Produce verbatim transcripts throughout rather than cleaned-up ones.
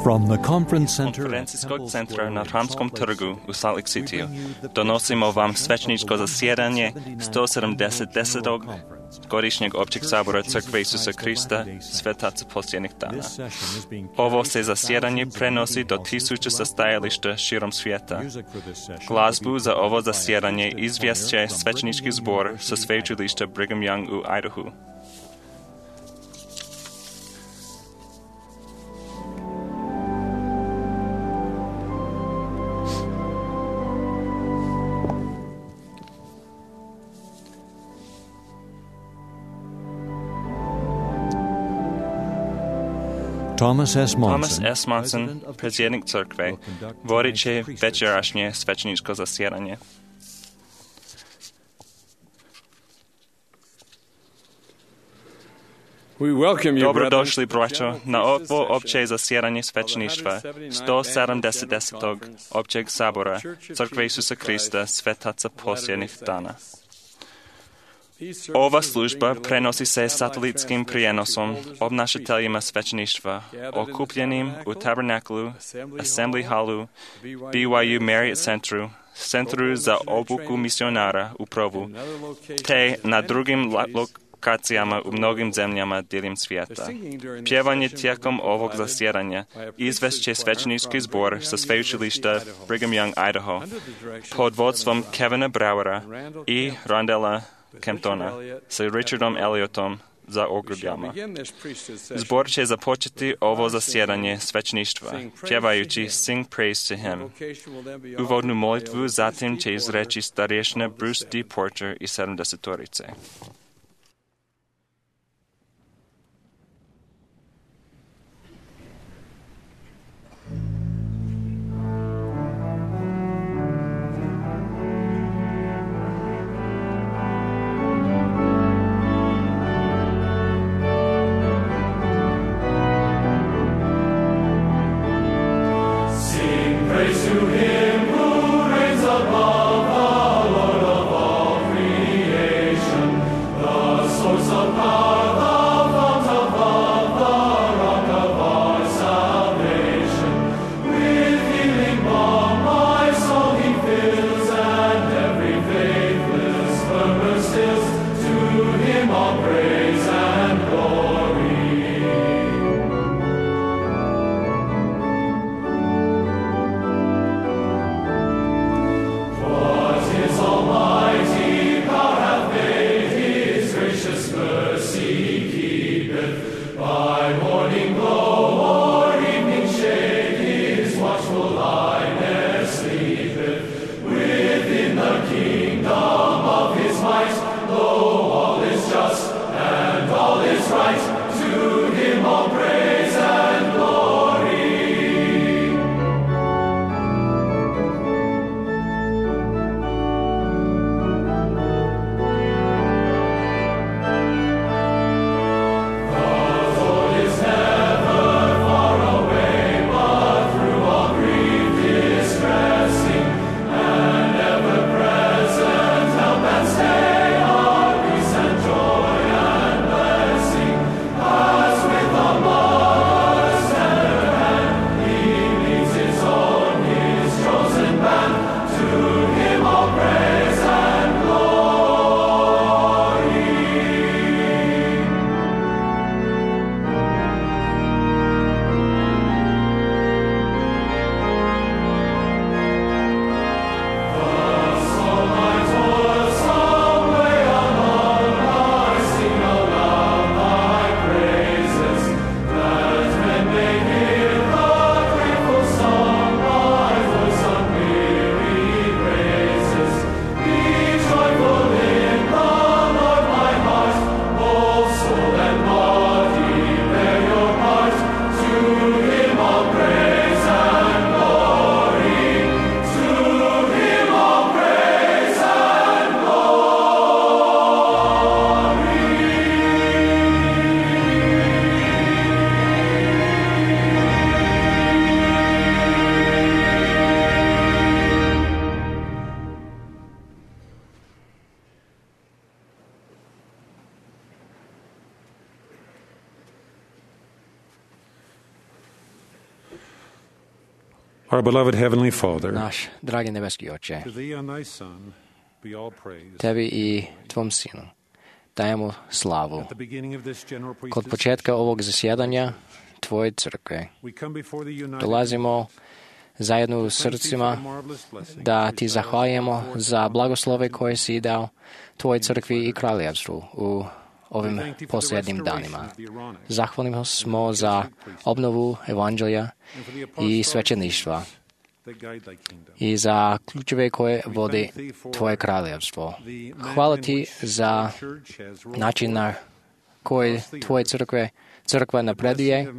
From the conference center Konferencijskog centra na Hramskom trgu u Salt Lake Cityu donosimo vam svećničko zasjedanje sto sedamdesetog godišnjeg općeg sabora Crkve Isusa Krista Svetaca posljednjih dana. Ovo se zasjedanje prenosi do tisuće sastajališta širom svijeta. Glazbu za ovo zasjedanje izvješće svećnički zbor sa sveučilišta Brigham Young u Idaho. Thomas S. Monson, Thomas S. Monson, predsjednik crkve, vodit će večerašnje svećničko zasjedanje. Dobrodošli, braćo, na ovo opće zasjedanje svećništva sto sedamdesetog općeg sabora Crkve Isusa Krista Svetaca posljednjih dana. Ova služba prenosi se satelitskim prijenosom obnašateljima svećništva, okupljenim u Tabernaklu, Assembly Hallu, B Y U Marriott Centru, Centru za obuku misionara u Provu, te na drugim lokacijama u mnogim zemljama diljem svijeta. Pjevanje tijekom ovog zasjedanja izvešće svećnički zbor sa sveučilišta Brigham Young, Idaho, pod vodstvom Kevina Browera i Rondella Kemptona sa Richardom Elliotom za ogrubljama. Zbor će započeti ovo zasjedanje svećništva, pjevajući Sing Praise to Him. Uvodnu molitvu zatim će izreći starješina Bruce D. Porter i sedamdesetorice. Our beloved Heavenly Father, Naš dragi nebeski Oče, to Thee and Thy Son be all praise. Tebi i Tvom Sinu dajemo slavu. At the beginning of this general Kod priesthood, početka ovog zasjedanja Tvoje crkve we come before the united dolazimo zajedno u srcima da Ti zahvaljujemo za blagoslove koje si dao Tvojoj crkvi i kraljevstvu u ovim posljednjim danima. Zahvalni smo za obnovu evanđelja i svećeništva i za ključeve koje vodi Tvoje kraljevstvo. Hvala Ti za način na koji Tvoje crkve, crkva napreduje,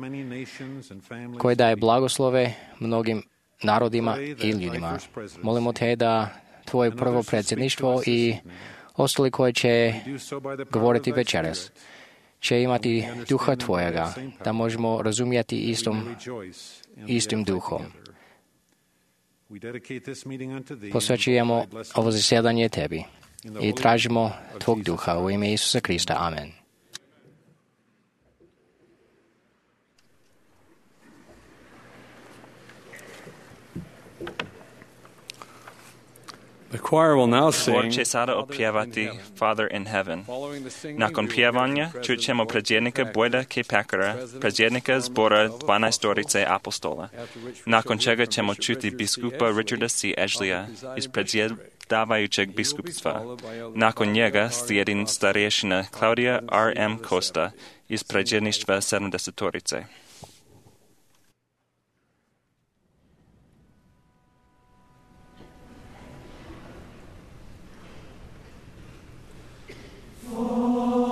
koji daje blagoslove mnogim narodima i ljudima. Molimo Te da Tvoje prvo predsjedništvo i ostali koji će govoriti večeras će imati duha Tvojega, da možemo razumjeti istom, istim duhom. Posvećujemo ovo zasjedanje Tebi i tražimo Tvog duha u ime Isusa Krista. Amen. The choir will now Zbor sing. će sada opjevati Father in Heaven. Nakon pjevanja čućemo predsjednika Bojda K. Packera, predsjednika zbora dvanaestorice apostola, nakon čega ćemo čuti biskupa Richarda C. Edgleya iz predsjedavajućeg biskupstva. Nakon njega slijedi starješina Claudia R. M. Costa iz predsjedništva sedamdesetorice. Children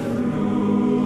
through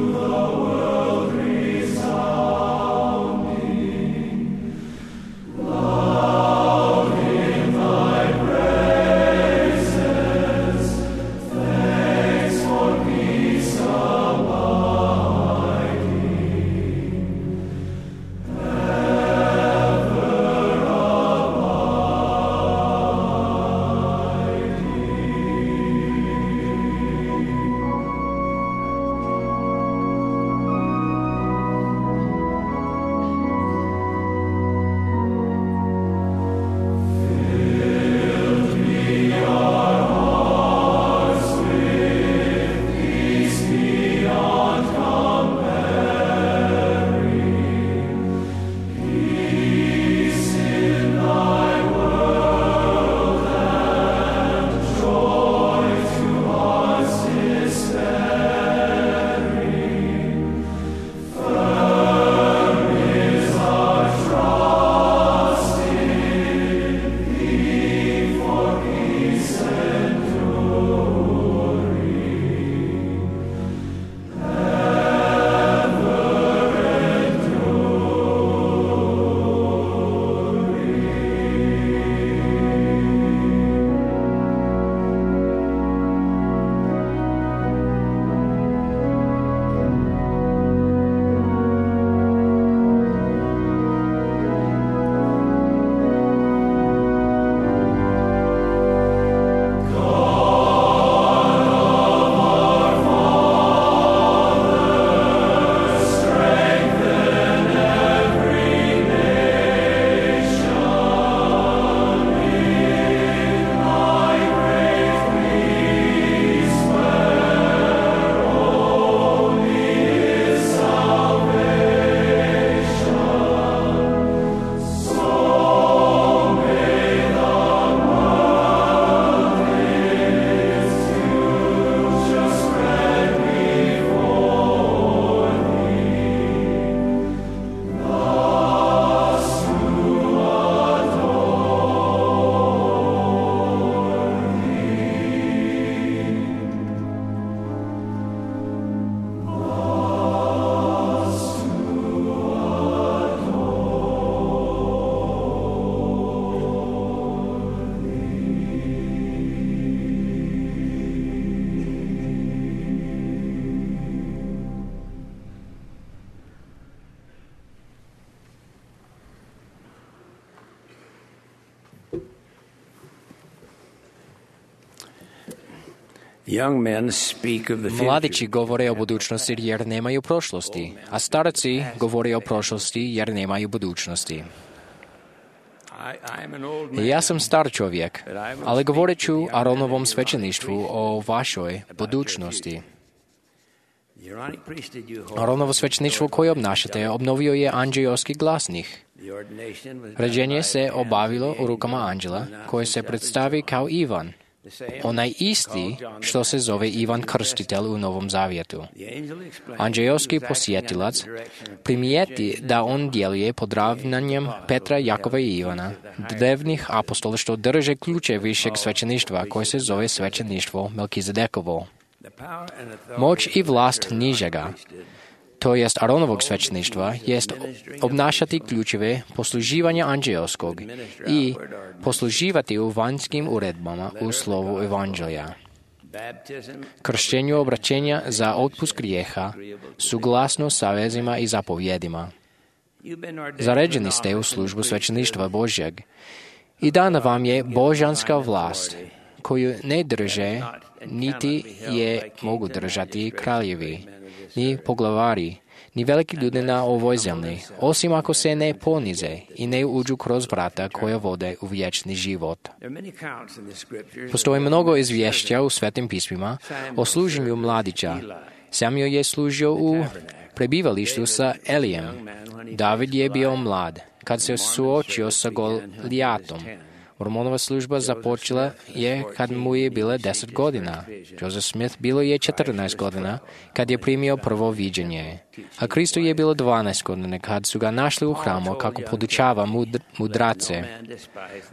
Mladići govore o budućnosti jer nemaju prošlosti, a starci govore o prošlosti jer nemaju budućnosti. Ja sam star čovjek, ali govorit ću Aronovom svećeništvu o vašoj budućnosti. Aronovo svećeništvo koje obnašate obnovio je anđeoski glasnih. Rađenje se obavilo u rukama anđela koji se predstavi kao Ivan, onaj isti što se zove Ivan Krstitelj u Novom Zavjetu. Anđeoski posjetilac primijeti da on djeluje pod ravnanjem Petra, Jakova i Ivana, drevnih apostola što drže ključe višeg svećeništva koje se zove svećeništvo Melkizedekovo. Moć i vlast nižega, to jest Aronovog svećeništva, jest obnašati ključeve posluživanja anđeoskog i posluživati u vanjskim uredbama u slovu evanđelja. Kršćenju obraćenja za otpust grijeha, suglasno savezima i zapovjedima. Zaređeni ste u službu svećeništva Božjeg i dana vam je božanska vlast, koju ne drže, niti je mogu držati kraljevi, ni poglavari, ni veliki ljudi na ovoj zemlji, osim ako se ne ponize i ne uđu kroz vrata koja vode u vječni život. Postoji mnogo izvješća u Svetim pismima o služenju mladića. Samuel je služio u prebivalištu sa Elijem. David je bio mlad kad se suočio sa Golijatom. Mormonova služba započela je kad mu je bilo deset godina. Joseph Smith bilo je četrnaest godina kad je primio prvo viđenje. A Kristu je bilo dvanaest godina kad su ga našli u hramu kako podučava mud, mudrace.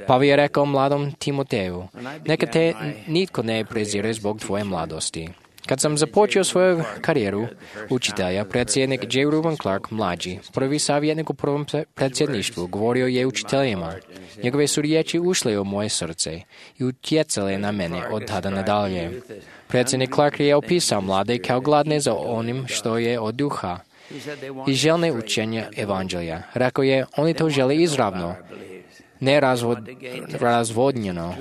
Pa je rekao mladom Timoteju, neka te nitko ne prezire zbog tvoje mladosti. Kad sam započeo svoju karijeru učitelja, predsjednik J. Reuben Clark, mlađi, prvi savjetnik u prvom predsjedništvu, govorio je učiteljima. Njegove su riječi ušle u moje srce i utjecale na mene od tada nadalje. Predsjednik Clark je opisao mlade kao gladne za onim što je od duha i željne učenja evanđelja. Rekao je, oni to žele izravno, ne razvod, razvodnjeno.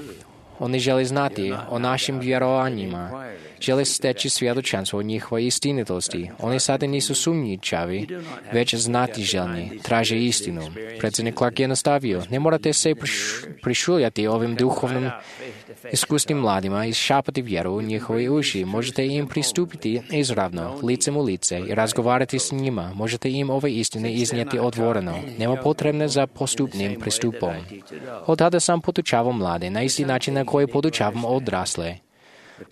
Oni žele znati o našim vjerovanjima, žele steći svjedočanstvo o njihovoj istinitosti. Oni sada nisu sumnjičavi, već znati željni, traže istinu. Predsjednik Clark je nastavio, ne morate se prišuljati ovim duhovnim iskusnim mladima i šapati vjeru u njihove uši. Možete im pristupiti izravno, licem u lice i razgovarati s njima. Možete im ove istine iznijeti otvoreno. Nema potrebne za postupnim pristupom. Od tada sam podučavao mlade na isti način na koji podučavam odrasle.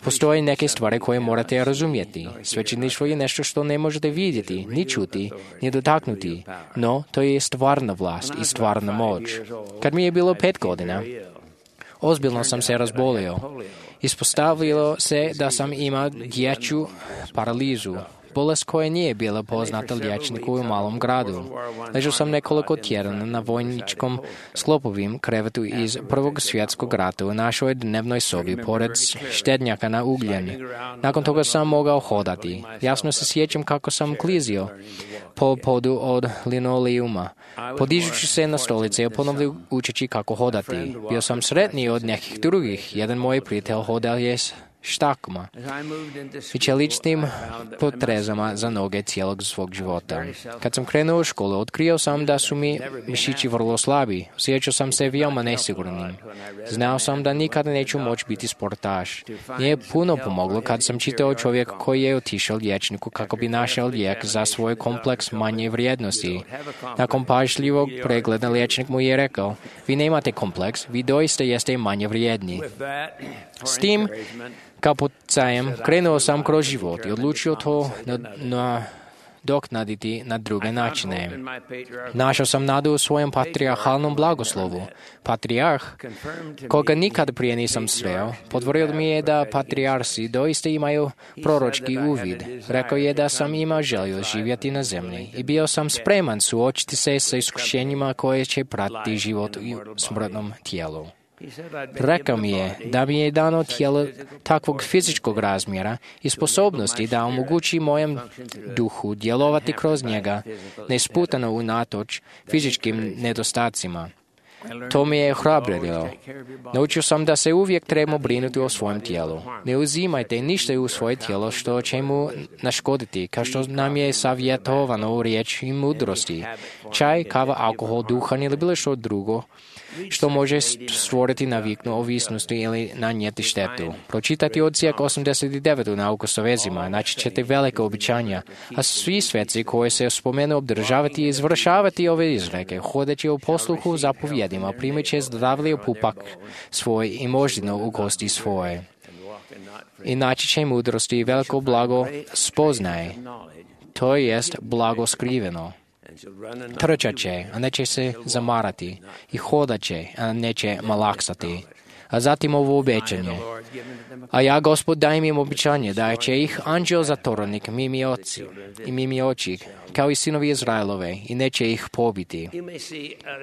Postoje neke stvari koje morate razumjeti. Svećeništvo je nešto što ne možete vidjeti, ni čuti, ni dotaknuti, no to je stvarna vlast i stvarna moć. Kad mi je bilo pet godina, ozbiljno sam se razbolio. Ispostavilo se da sam imao dječju paralizu, bolest koja nije bila poznata liječniku u malom gradu. Ležao sam nekoliko tjedana na vojničkom sklopovim krevetu iz Prvog svjetskog rata u našoj dnevnoj sobi, pored štednjaka na ugljen. Nakon toga sam mogao hodati. Jasno se sjećam kako sam klizio po podu od linoleuma, podižući se na stolice i ponovno učeći kako hodati. Bio sam sretniji od nekih drugih. Jedan moj prijatelj hodao je štakama i čeličnim potrezama za noge cijelog svog života. Kad sam krenuo u školu, otkrio sam da su mi mišići vrlo slabi. Osjećao sam se veoma nesigurnim. Znao sam da nikada neću moći biti sportaš. Nije puno pomoglo kad sam čitao čovjek koji je otišao liječniku kako bi našao lijek za svoj kompleks manje vrijednosti. Nakon pažljivog pregleda liječnik mu je rekao, vi nemate kompleks, vi doista jeste manje vrijedni. S tim kao poticajem krenuo sam kroz život i odlučio to na, na doknaditi na druge načine. Našao sam nadu u svojem patrijarhalnom blagoslovu. Patrijarh, koga nikad prije nisam sreo, potvrdio mi je da patrijarsi doista imaju proročki uvid. Rekao je da sam imao želju živjeti na zemlji i bio sam spreman suočiti se sa iskušenjima koje će pratiti život u smrtnom tijelu. Rekao mi je da mi je dano tijelo takvog fizičkog razmjera i sposobnosti da omogući mojem duhu djelovati kroz njega, nesputano unatoč fizičkim nedostacima. To mi je ohrabrilo. Naučio sam da se uvijek trebamo brinuti o svojem tijelu. Ne uzimajte ništa u svoje tijelo što će mu naškoditi, kao što nam je savjetovano u riječi mudrosti. Čaj, kava, alkohol, duhan ili bilo što drugo što može stvoriti naviknu ovisnosti ili nanijeti štetu. Pročitati odsjek osamdeset devet u Nauku sa vezima, naći ćete velike običanja, a svi sveci koji se spomenu obdržavati i izvršavati ove izreke, hodeći u posluhu zapovjedima, primit će zdravlje pupak svoj i moždinu u kosti svoje. I naći će mudrosti i veliko blago spoznaje, to jest blago skriveno. Trčat će, a neće se zamarati, i hodat će, a neće malaksati. A zatim ovo obećanje. A ja, Gospod, dajem im obećanje da će ih anđeo zatvorenik mimi oci i mimi oči, kao i sinovi Izraelove, i neće ih pobiti.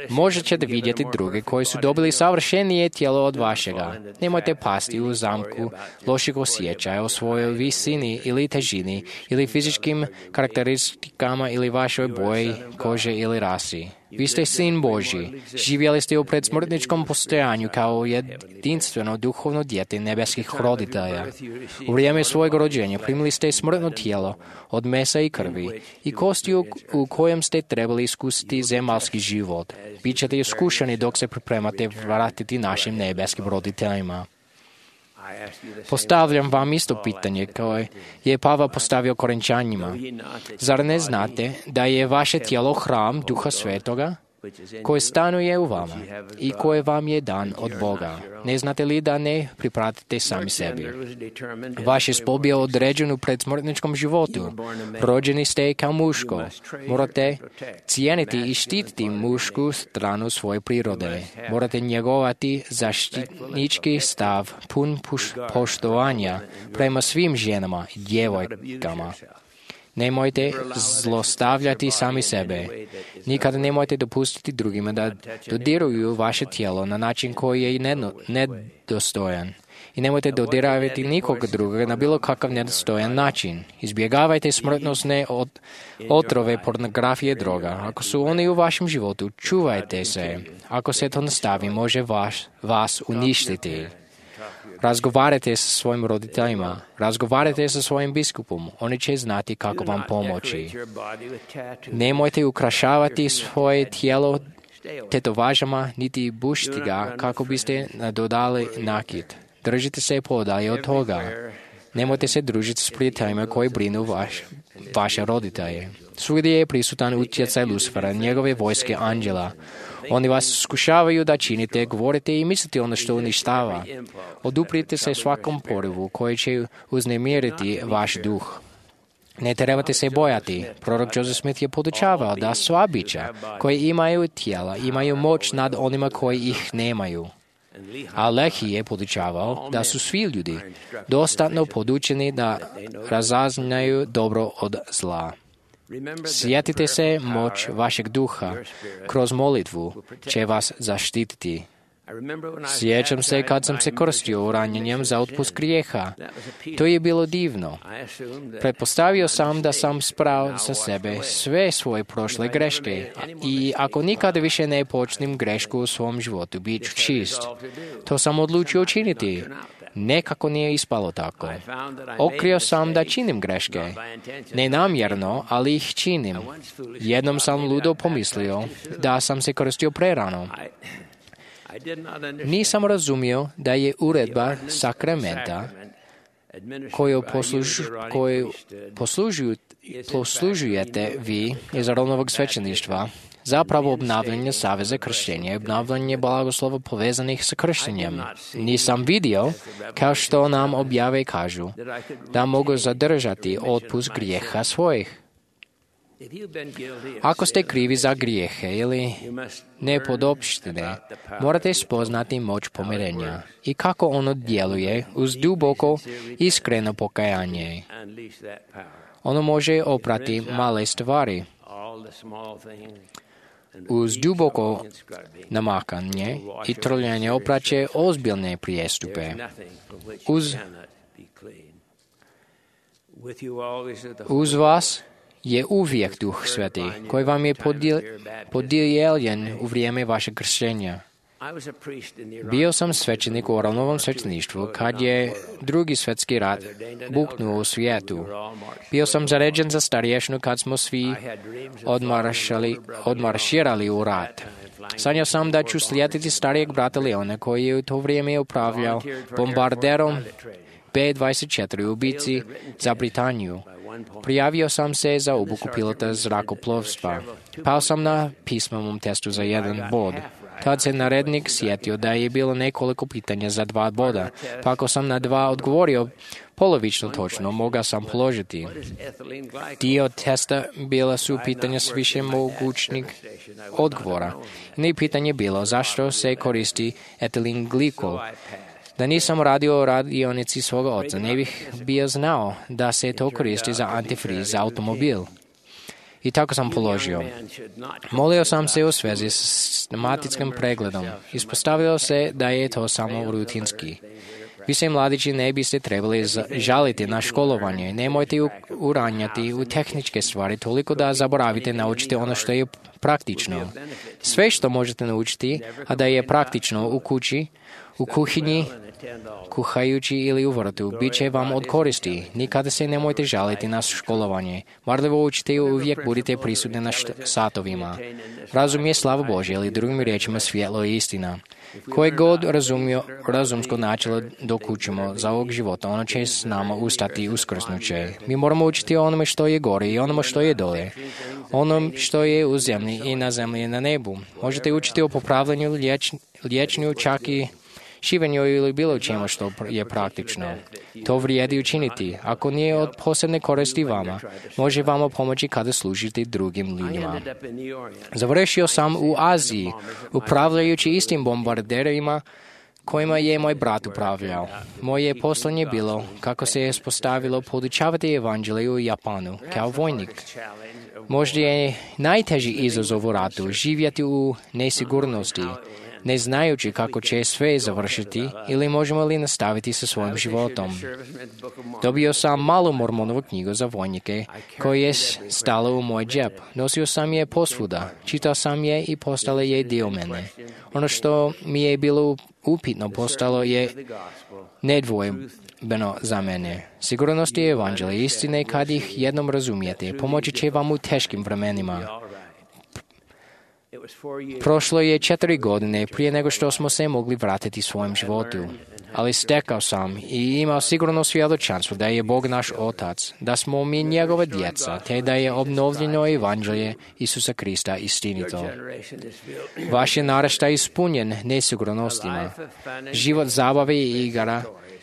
Možda ćete vidjeti druge koji su dobili savršenije tijelo od vašega. Nemojte pasti u zamku loših osjećaja o svojoj visini ili težini ili fizičkim karakteristikama ili vašoj boji kože ili rasi. Vi ste sin Božji, živjeli ste u predsmrtničkom postojanju kao jedinstveno duhovno dijete nebeskih roditelja. U vrijeme svojeg rođenja primili ste smrtno tijelo od mesa i krvi i kosti u, u kojem ste trebali iskusiti zemaljski život. Bićete iskušani dok se pripremate vratiti našim nebeskim roditeljima. Postavljam vam isto pitanje koje je Pavao postavio Korinčanima. Zar ne znate da je vaše tijelo hram Duha Svetoga koji stanuje u vama i koji vam je dan od Boga? Ne znate li da ne pripratite sami sebi? Vaš je spol bio određen u predsmrtničkom životu. Rođeni ste kao muško. Morate cijeniti i štititi mušku stranu svoje prirode. Morate njegovati zaštitnički stav pun poštovanja prema svim ženama i djevojkama. Nemojte zlostavljati sami sebe. Nikada nemojte dopustiti drugima da dodiruju vaše tijelo na način koji je nedostojan. I nemojte dodiravati nikoga drugoga na bilo kakav nedostojan način. Izbjegavajte smrtnosne od, otrove, pornografije, droga. Ako su oni u vašem životu, čuvajte se. Ako se to nastavi, može vaš, vas uništiti. Razgovarajte sa svojim roditeljima, razgovarajte sa svojim biskupom, oni će znati kako vam pomoći. Nemojte ukrašavati svoje tijelo tetovažama, niti bušiti ga kako biste nadodali nakit. Držite se podalje od toga. Nemojte se družiti s prijateljima koji brinu vaš, vaše roditelje. Svugdje je prisutan utjecaj Lucifera, njegove vojske anđela. Oni vas skušavaju da činite, govorite i mislite ono što uništava. Oduprite se svakom porivu koji će uznemiriti vaš duh. Ne trebate se bojati. Prorok Joseph Smith je podučavao da sva bića koji imaju tijela imaju moć nad onima koji ih nemaju. A Lehi je podučavao da su svi ljudi dostatno podučeni da razaznaju dobro od zla. Sjetite se, moć vašeg duha kroz molitvu će vas zaštititi. Sjećam se kad sam se krstio ranjenjem za otpust grijeha. To je bilo divno. Pretpostavio sam da sam sprao sa sebe sve svoje prošle greške i ako nikada više ne počnem grešku u svom životu, bit ću čist. To sam odlučio učiniti. Nekako nije ispalo tako. Otkrio sam da činim greške. Nenamjerno, ali ih činim. Jednom sam ludo pomislio da sam se krstio prerano. Nisam razumio da je uredba sakramenta koju, poslužu, koju poslužuju, poslužujete vi iz Aronovog svećeništva zapravo obnavljanje saveza krštenja i obnavljanje blagoslova povezanih sa krštenjem. Nisam vidio, kao što nam objave kažu, da mogu zadržati otpust grijeha svojih. Ako ste krivi za grijehe ili nepodopštine, morate spoznati moć pomirenja i kako ono djeluje uz duboko iskreno pokajanje. Ono može oprati male stvari. Uz duboko namakanje i trljanje opraće ozbiljne prijestupe. Uz, uz vas je uvijek Duh Sveti, koji vam je podijeljen u vrijeme vašeg krštenja. Bio sam svećenik u Oranovom svećeništvu kad je drugi svjetski rat buknuo u svijetu. Bio sam zaređen za starješnu kad smo svi odmarširali u rat. Sanjao sam da ću slijediti starijeg brata Leona koji je u to vrijeme upravljao bombarderom B dvadeset četiri u bici za Britaniju. Prijavio sam se za obuku pilota zrakoplovstva. Pao sam na pismenom testu za jedan bod. Tad se narednik sjetio da je bilo nekoliko pitanja za dva boda, pa ako sam na dva odgovorio polovično točno, mogao sam položiti. Dio testa bila su pitanja s više mogućnih odgovora. Ne pitanje bilo zašto se koristi etilin glikol. Da nisam radio o radionici svoga oca, ne bih bio znao da se to koristi za antifriz za automobil. I tako sam položio. Molio sam se u svezi s sistematičkim pregledom. Ispostavilo se da je to samo rutinski. Vi se mladići ne biste trebali žaliti na školovanje. Nemojte uranjati u tehničke stvari toliko da zaboravite naučiti ono što je praktično. Sve što možete naučiti, a da je praktično u kući, u kuhinji, kuhajući ili u vrtu, bit će vam od koristi. Nikada se nemojte žaliti na školovanje. Marljivo učite i uvijek budite prisutni na satovima. Razum je slava Božja, ili drugim riječima svjetlo i istina. Koje god razumio, razumsko načelo dok učimo za ovog života, ono će s nama ustati uskrsnuće. Mi moramo učiti o onome što je gore i onome što je dole. Onom što je u zemlji i na zemlji i na nebu. Možete učiti o popravljanju, liječ, liječenju, čak i šivenju ili bilo čemu što je praktično. To vrijedi učiniti. Ako nije od posebne koristi vama, može vama pomoći kada služite drugim ljudima. Završio sam u Aziji, upravljajući istim bombarderima kojima je moj brat upravljao. Moje poslanje bilo, kako se je spostavilo, podučavati evanđelje u Japanu, kao vojnik. Možda je najteži izazov u ratu živjeti u nesigurnosti, ne znajući kako će sve završiti ili možemo li nastaviti sa svojim životom. Dobio sam malu Mormonovu knjigu za vojnike koja je stala u moj džep. Nosio sam je posvuda, čitao sam je i postala je dio mene. Ono što mi je bilo upitno postalo je nedvojbeno za mene. Sigurnost je evanđelje istine kad ih jednom razumijete. Pomoći će vam u teškim vremenima. Prošlo je četiri godine prije nego što smo se mogli vratiti svojem životu. Ali stekao sam i imao sigurno svjedočanstvo da je Bog naš Otac, da smo mi njegove djeca, te da je obnovljeno evanđelje Isusa Krista istinito. Vaš je naraštaj ispunjen nesigurnostima. Život zabave i igara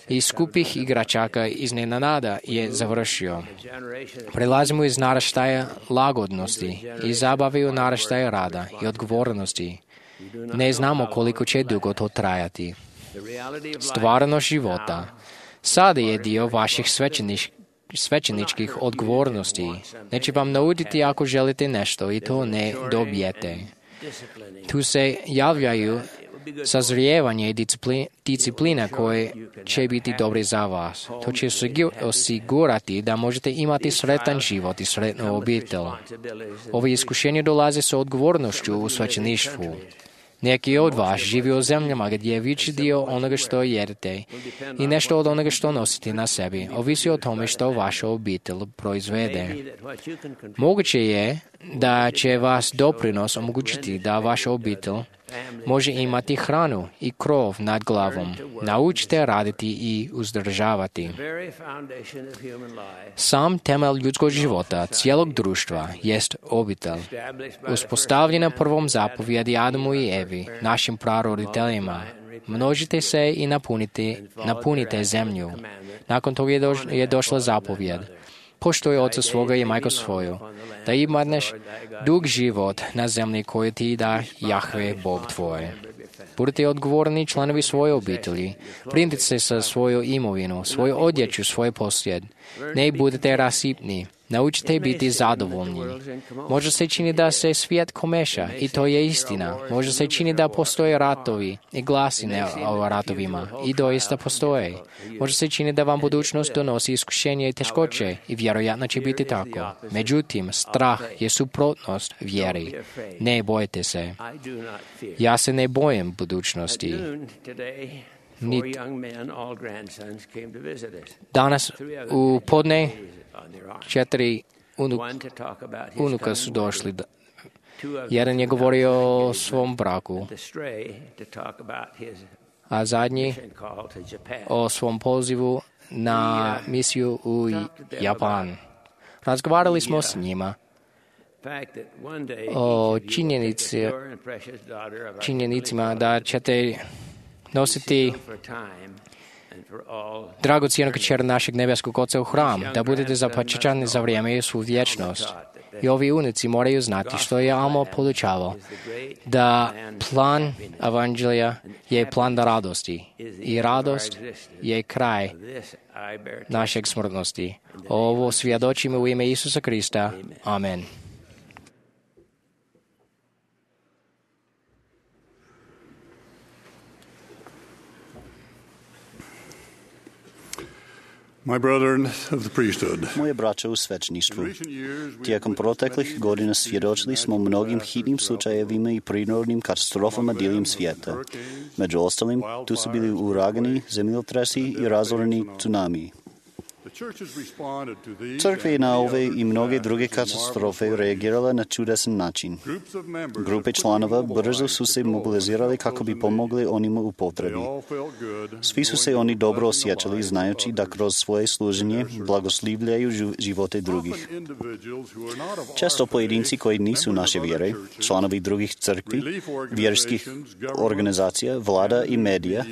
i skupih igračaka iznenada je završio. Prelazimo iz naraštaja lagodnosti i zabave u naraštaja rada i odgovornosti. Ne znamo koliko će dugo to trajati. Stvarnost života sada je dio vaših svećeniš, svećeničkih odgovornosti. Neće vam nauditi ako želite nešto i to ne dobijete. Tu se javljaju sazrijevanje i disciplina koje će biti dobre za vas. To će osigurati da možete imati sretan život i sretnu obitelj. Ove iskušenje dolaze sa odgovornošću u svećeništvu. Neki od vas živi u zemljama gdje je veći dio onoga što jedete i nešto od onoga što nosite na sebi ovisi o tome što vaša obitelj proizvede. Moguće je da će vas doprinos omogućiti da vaša obitelj može imati hranu i krov nad glavom. Naučite raditi i uzdržavati. Sam temelj ljudskog života, cijelog društva, jest obitelj. Uspostavljena prvom zapovjedi Adamu i Evi, našim praroditeljima. Množite se i napunite, napunite zemlju. Nakon toga je, doš, je došla zapovjed. Poštuj oca svoga i majku svoju, da imaš dug život na zemlji koju ti da Jahve, Bog tvoj. Budite odgovorni članovi svoje obitelji. Brinite se sa svoju imovinu, svoju odjeću, svoj posjed. Ne budete rasipni. Naučite biti zadovoljni. Može se čini da se svijet komeša i to je istina. Može se čini da postoje ratovi i glasine o ratovima i doista postoje. Može se čini da vam budućnost donosi iskušenje i teškoće i vjerojatno će biti tako. Međutim, strah je suprotnost vjeri. Ne bojte se. Ja se ne bojim budućnosti. Nit. Danas u podne četiri unuk, unuka su došli. Jedan je govorio o svom braku, a zadnji o svom pozivu na misiju u Japan. Razgovarali smo s njima o činjenici, činjenicima da ćete nositi dragocjenu kćer našeg nebeskog Oca u hram, da budete zapačečani za vrijeme i svu vječnost. I ovi unici moraju znati što je Alma podučavao, da plan evanđelja je plan da radosti i radost je kraj našeg smrtnosti. Ovo svjedočimo u ime Isusa Krista. Amen. My brethren of the priesthood. Moje braće u svećništvu, tijekom proteklih godina svjedočili smo mnogim hitnim slučajevima i prirodnim katastrofama diljem svijeta. Među ostalim, tu su bili uragani, zemljotresi i razoreni tsunami. Crkva je na ove i mnoge druge katastrofe reagirala na čudesan način. Grupe članova brzo su se mobilizirali kako bi pomogli onima u potrebi. Svi su se oni dobro osjećali znajući da kroz svoje služenje blagoslivljaju živote drugih. Često pojedinci koji nisu naše vjere, članovi drugih crkvi, vjerskih organizacija, vlada i medija,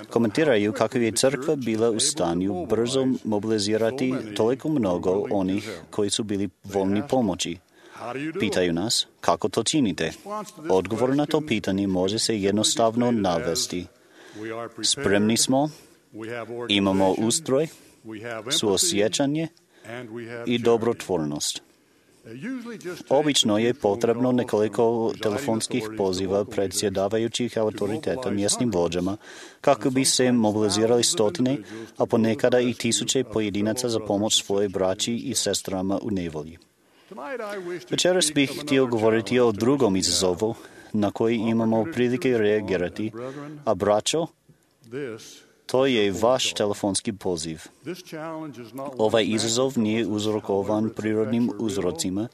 komentiraju kako je crkva bila u stanju brzo mobilizirati toliko mnogo onih koji su bili voljni pomoći. Pitaju nas, kako to činite? Odgovor na to pitanje može se jednostavno navesti. Spremni smo, imamo ustroj, suosjećanje i dobrotvornost. Obično je potrebno nekoliko telefonskih poziva predsjedavajućih autoriteta mjesnim vođama kako bi se mobilizirali stotine, a ponekada i tisuće pojedinaca za pomoć svoje braći i sestrama u nevolji. Večeras bih htio govoriti o drugom izazovu na koji imamo prilike reagirati, a braćo, to je vaš telefonski poziv. Ovaj izazov nije uzrokovan prirodnim uzrocima,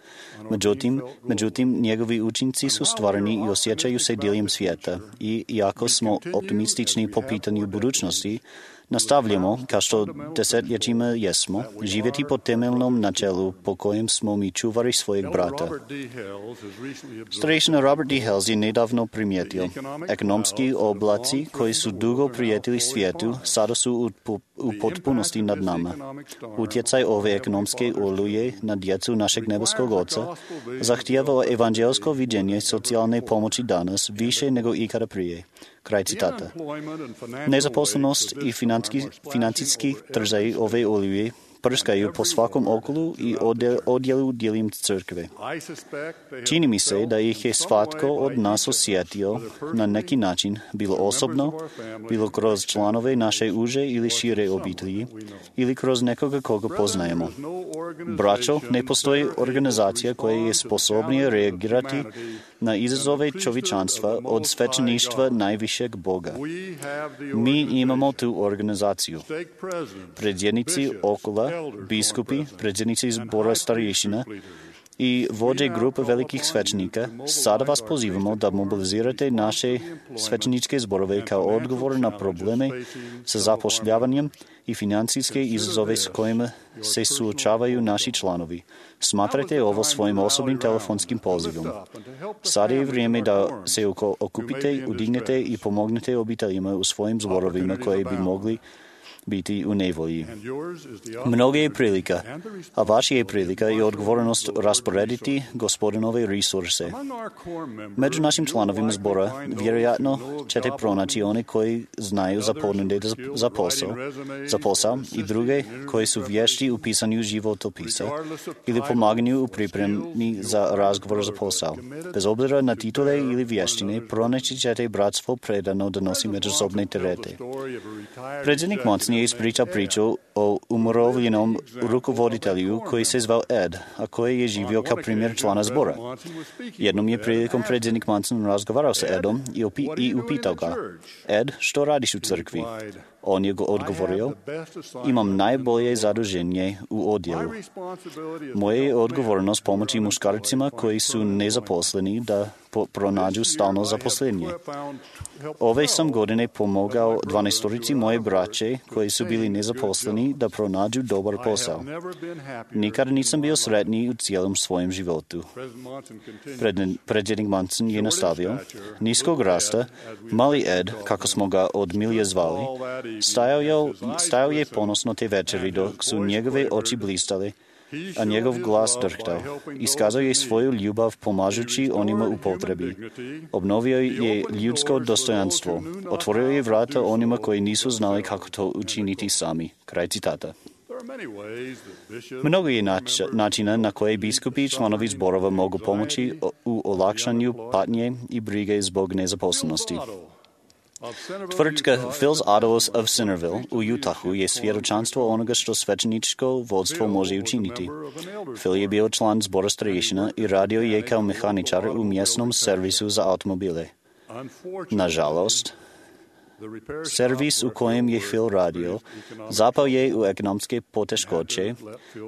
međutim, međutim njegovi učinci su stvarni i osjećaju se diljem svijeta. I iako smo optimistični po pitanju budućnosti, nastavljamo, kao što desetljećima jesmo, živjeti po temeljnom načelu po kojem smo mi čuvari svojeg brata. Starešina Robert D. Hales je nedavno primijetio, ekonomski oblaci koji su dugo prijetili svijetu, sada su u, u potpunosti nad nama. Utjecaj ove ekonomske oluje na djecu našeg nebeskog Oca zahtijeva evanđelsko viđenje socijalne pomoći danas više nego ikada prije. Kraj citata. Nezaposlenost i financijski trzaji ove oluje prskaju po svakom okolu i odjelu diljem crkve. Čini mi se da ih je svatko od nas osjetio na neki način, bilo osobno, bilo kroz članove naše uže ili šire obitelji, ili kroz nekoga koga poznajemo. Braćo, ne postoji organizacija koja je sposobnija reagirati na izazove čovječanstva od svećeništva najvišeg Boga. Mi imamo tu organizaciju. Predsjednici okola, biskupi, predsjednici zbora starješina i vođe grupe velikih svećenika, sada vas pozivamo da mobilizirate naše svećeničke zborove kao odgovor na probleme sa zapošljavanjem i financijske izazove s kojima se suočavaju naši članovi. Smatrajte ovo svojim osobnim telefonskim pozivom. Sada je vrijeme da se okupite, udignete i pomognete obiteljima u svojim zborovima koje bi mogli biti u nevolji. Mnoge je prilika, a vaša je prilika i odgovornost rasporediti gospodinove resurse. Među našim članovima zbora vjerojatno ćete pronaći one koji znaju za ponude za posao, za posao i druge koji su vješti u pisanju životopisa ili pomaganju u pripremi za razgovor za posao. Bez obzira na titule ili vještine, pronaći ćete bratstvo predano da nosi međusobne terete. Predsjednik Monson je ispričao priču o umirovljenom rukovoditelju koji se zvao Ed, a koji je živio kao primjer člana zbora. Jednom je prilikom predsjednik Monson razgovarao sa Edom i, opi- i upitao ga: Ed, što radiš u crkvi? On je odgovorio: imam najbolje zaduženje u odjelu. Moja je odgovornost pomoći muškarcima koji su nezaposleni da po- pronađu stalno zaposlenje. Ove sam godine pomogao dvanaestorici moje braće koji su bili nezaposleni da pronađu dobar posao. Nikad nisam bio sretniji u cijelom svojem životu. Predsjednik Monson je nastavio: niskog rasta, mali Ed, kako smo ga od milije zvali, stajao je, stajao je ponosno te večeri dok su njegove oči blistale, a njegov glas drhtao. Iskazao je svoju ljubav pomažući onima u potrebi. Obnovio je ljudsko dostojanstvo. Otvorio je vrata onima koji nisu znali kako to učiniti sami. Kraj citata. Mnogo je nač- načina na koje biskupi i članovi zborova mogu pomoći u olakšanju patnje i brige zbog nezaposlenosti. Tvrtka Phil's Autos of Centerville u Utahu je svjedočanstvo onoga što svećeničko vodstvo može učiniti. Phil je bio član zbora starješina i radio je kao mehaničar u mjesnom servisu za automobile. Nažalost, servis u kojem je Phil radio zapao je u ekonomske poteškoće,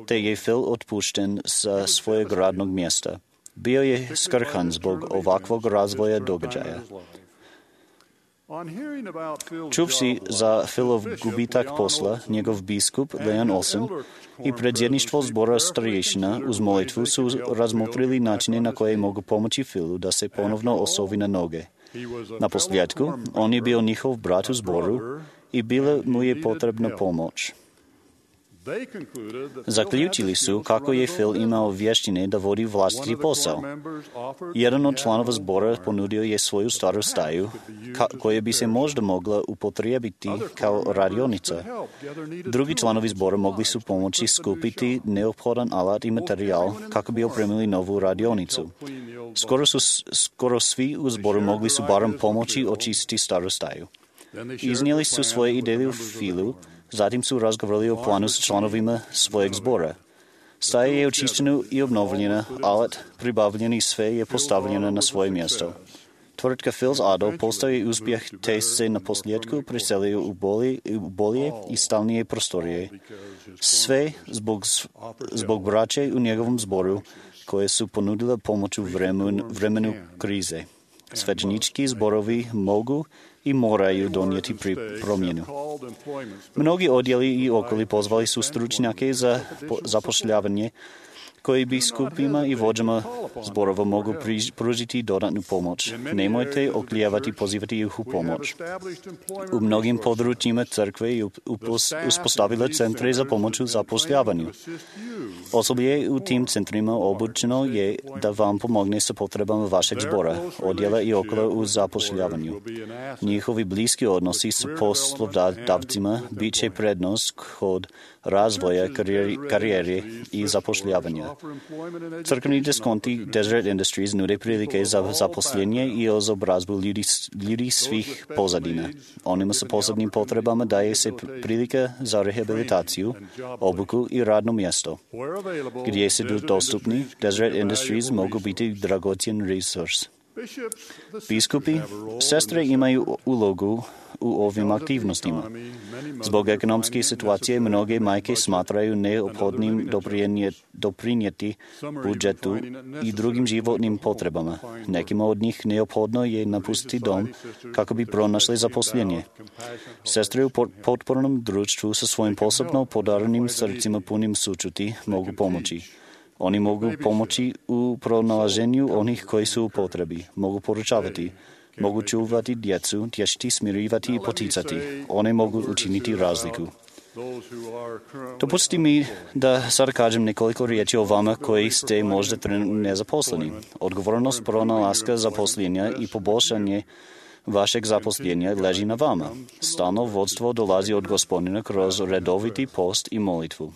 te je Phil otpušten sa svojeg radnog mjesta. Bio je skrhan zbog ovakvog razvoja događaja. Čuvši za Philov gubitak posla, njegov biskup Leon Olson i predsjedništvo zbora starješina uz molitvu su razmotrili načine na koje mogu pomoći Philu da se ponovno osovi na noge. Na posljedku, on je bio njihov brat u zboru i bila mu je potrebna pomoć. Zaključili su kako je Phil imao vještine da vodi vlastiti posao. Jedan od članova zbora ponudio je svoju staru staju, ka- koja bi se možda mogla upotrijebiti kao radionica. Drugi članovi zbora mogli su pomoći skupiti neophodan alat i materijal kako bi opremili novu radionicu. Skoro, su, skoro svi u zboru mogli su barem pomoći očistiti staru staju. Iznijeli su svoje ideje u Philu. Zatim su razgovarali o planu s članovima svojeg zbora. Staja je očišćena i obnovljena, alat pribavljen i sve je postavljeno na svoje mjesto. Tvrtka Phil's Auto postao je uspjeh, te se na posljedku preselio u bolje, u bolje i stalnije prostorije. Sve zbog, zbog braće u njegovom zboru koje su ponudile pomoć u vremenu, vremenu krize. Svećenički zborovi mogu i moraju donijeti pri promjenu. Mnogi odjeli i okoli pozvali su stručnjake za zapošljavanje koji biskupima i vođama zborova mogu pružiti dodatnu pomoć. Nemojte oklijevati pozivati ih u pomoć. U mnogim područjima crkve je uspostavila centre za pomoć u zapošljavanju. Osoblje u tim centrima obučeno je da vam pomogne sa potrebama vašeg zbora, odjela i okolo u zapošljavanju. Njihovi bliski odnosi s poslodavcima bit će prednost kod razvoja karijeri, karijere i zapošljavanja. Crkveni diskonti Deseret Industries nude prilike za zaposlenje i izobrazbu ljudi, ljudi svih pozadina. Onima sa posebnim potrebama daje se prilika za rehabilitaciju, obuku i radno mjesto. Gdje se dostupni, Deseret Industries mogu biti dragocjen resurs. Biskupi, sestre imaju ulogu u ovim aktivnostima. Zbog ekonomske situacije mnoge majke smatraju neophodnim doprinijeti budžetu i drugim životnim potrebama. Nekima od njih neophodno je napustiti dom kako bi pronašli zaposlenje. Sestre u potpornom društvu sa svojim posebno podarenim srcima punim sućuti mogu pomoći. Oni mogu pomoći u pronalaženju onih koji su u potrebi. Mogu poručavati: Mogu čuvati djecu, tješiti, smirivati i poticati. One mogu učiniti razliku. Dopustite mi da sada kažem nekoliko riječi o vama koji ste možda trenutno nezaposleni. Odgovornost pronalaska zaposlenja i poboljšanje vašeg zaposlenja leži na vama. Stalno vodstvo dolazi od Gospodina kroz redoviti post i molitvu.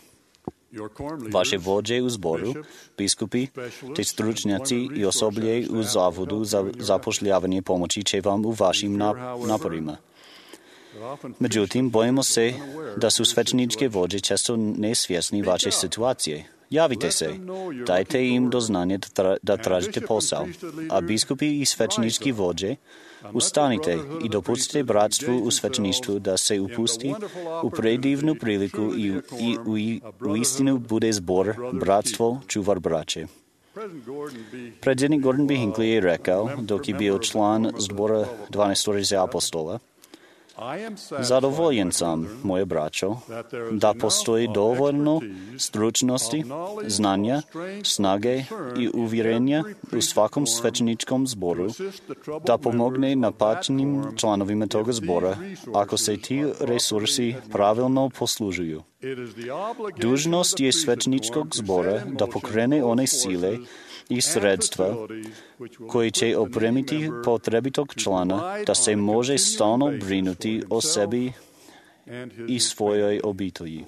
Vaše vođe u zboru, biskupi, te stručnjaci i osoblje u zavodu za zapošljavanje pomoći će vam u vašim naporima. Međutim, bojimo se da su svećeničke vođe često nesvjesni vaše situacije. Javite se, dajte im do znanja da, tra- da tražite posao, a biskupi i svećenički vođe ustanite i dopustite bratstvu u svećeništvu da se upusti u predivnu priliku i, i u, u istinu bude zbor, bratstvo, čuvar braće. Predsjednik Gordon B. Hinckley je rekao, dok je bio član zbora dvanaestorice apostola, zadovoljen sam, moje braćo, da postoji dovoljno stručnosti, znanja, snage i uvjerenja u svakom svećeničkom zboru da pomogne napačenim članovima toga zbora ako se ti resursi pravilno poslužuju. Dužnost je svećeničkog zbora da pokrene one sile i sredstva koji će opremiti potrebitog člana da se može stalno brinuti o sebi i svojoj obitelji.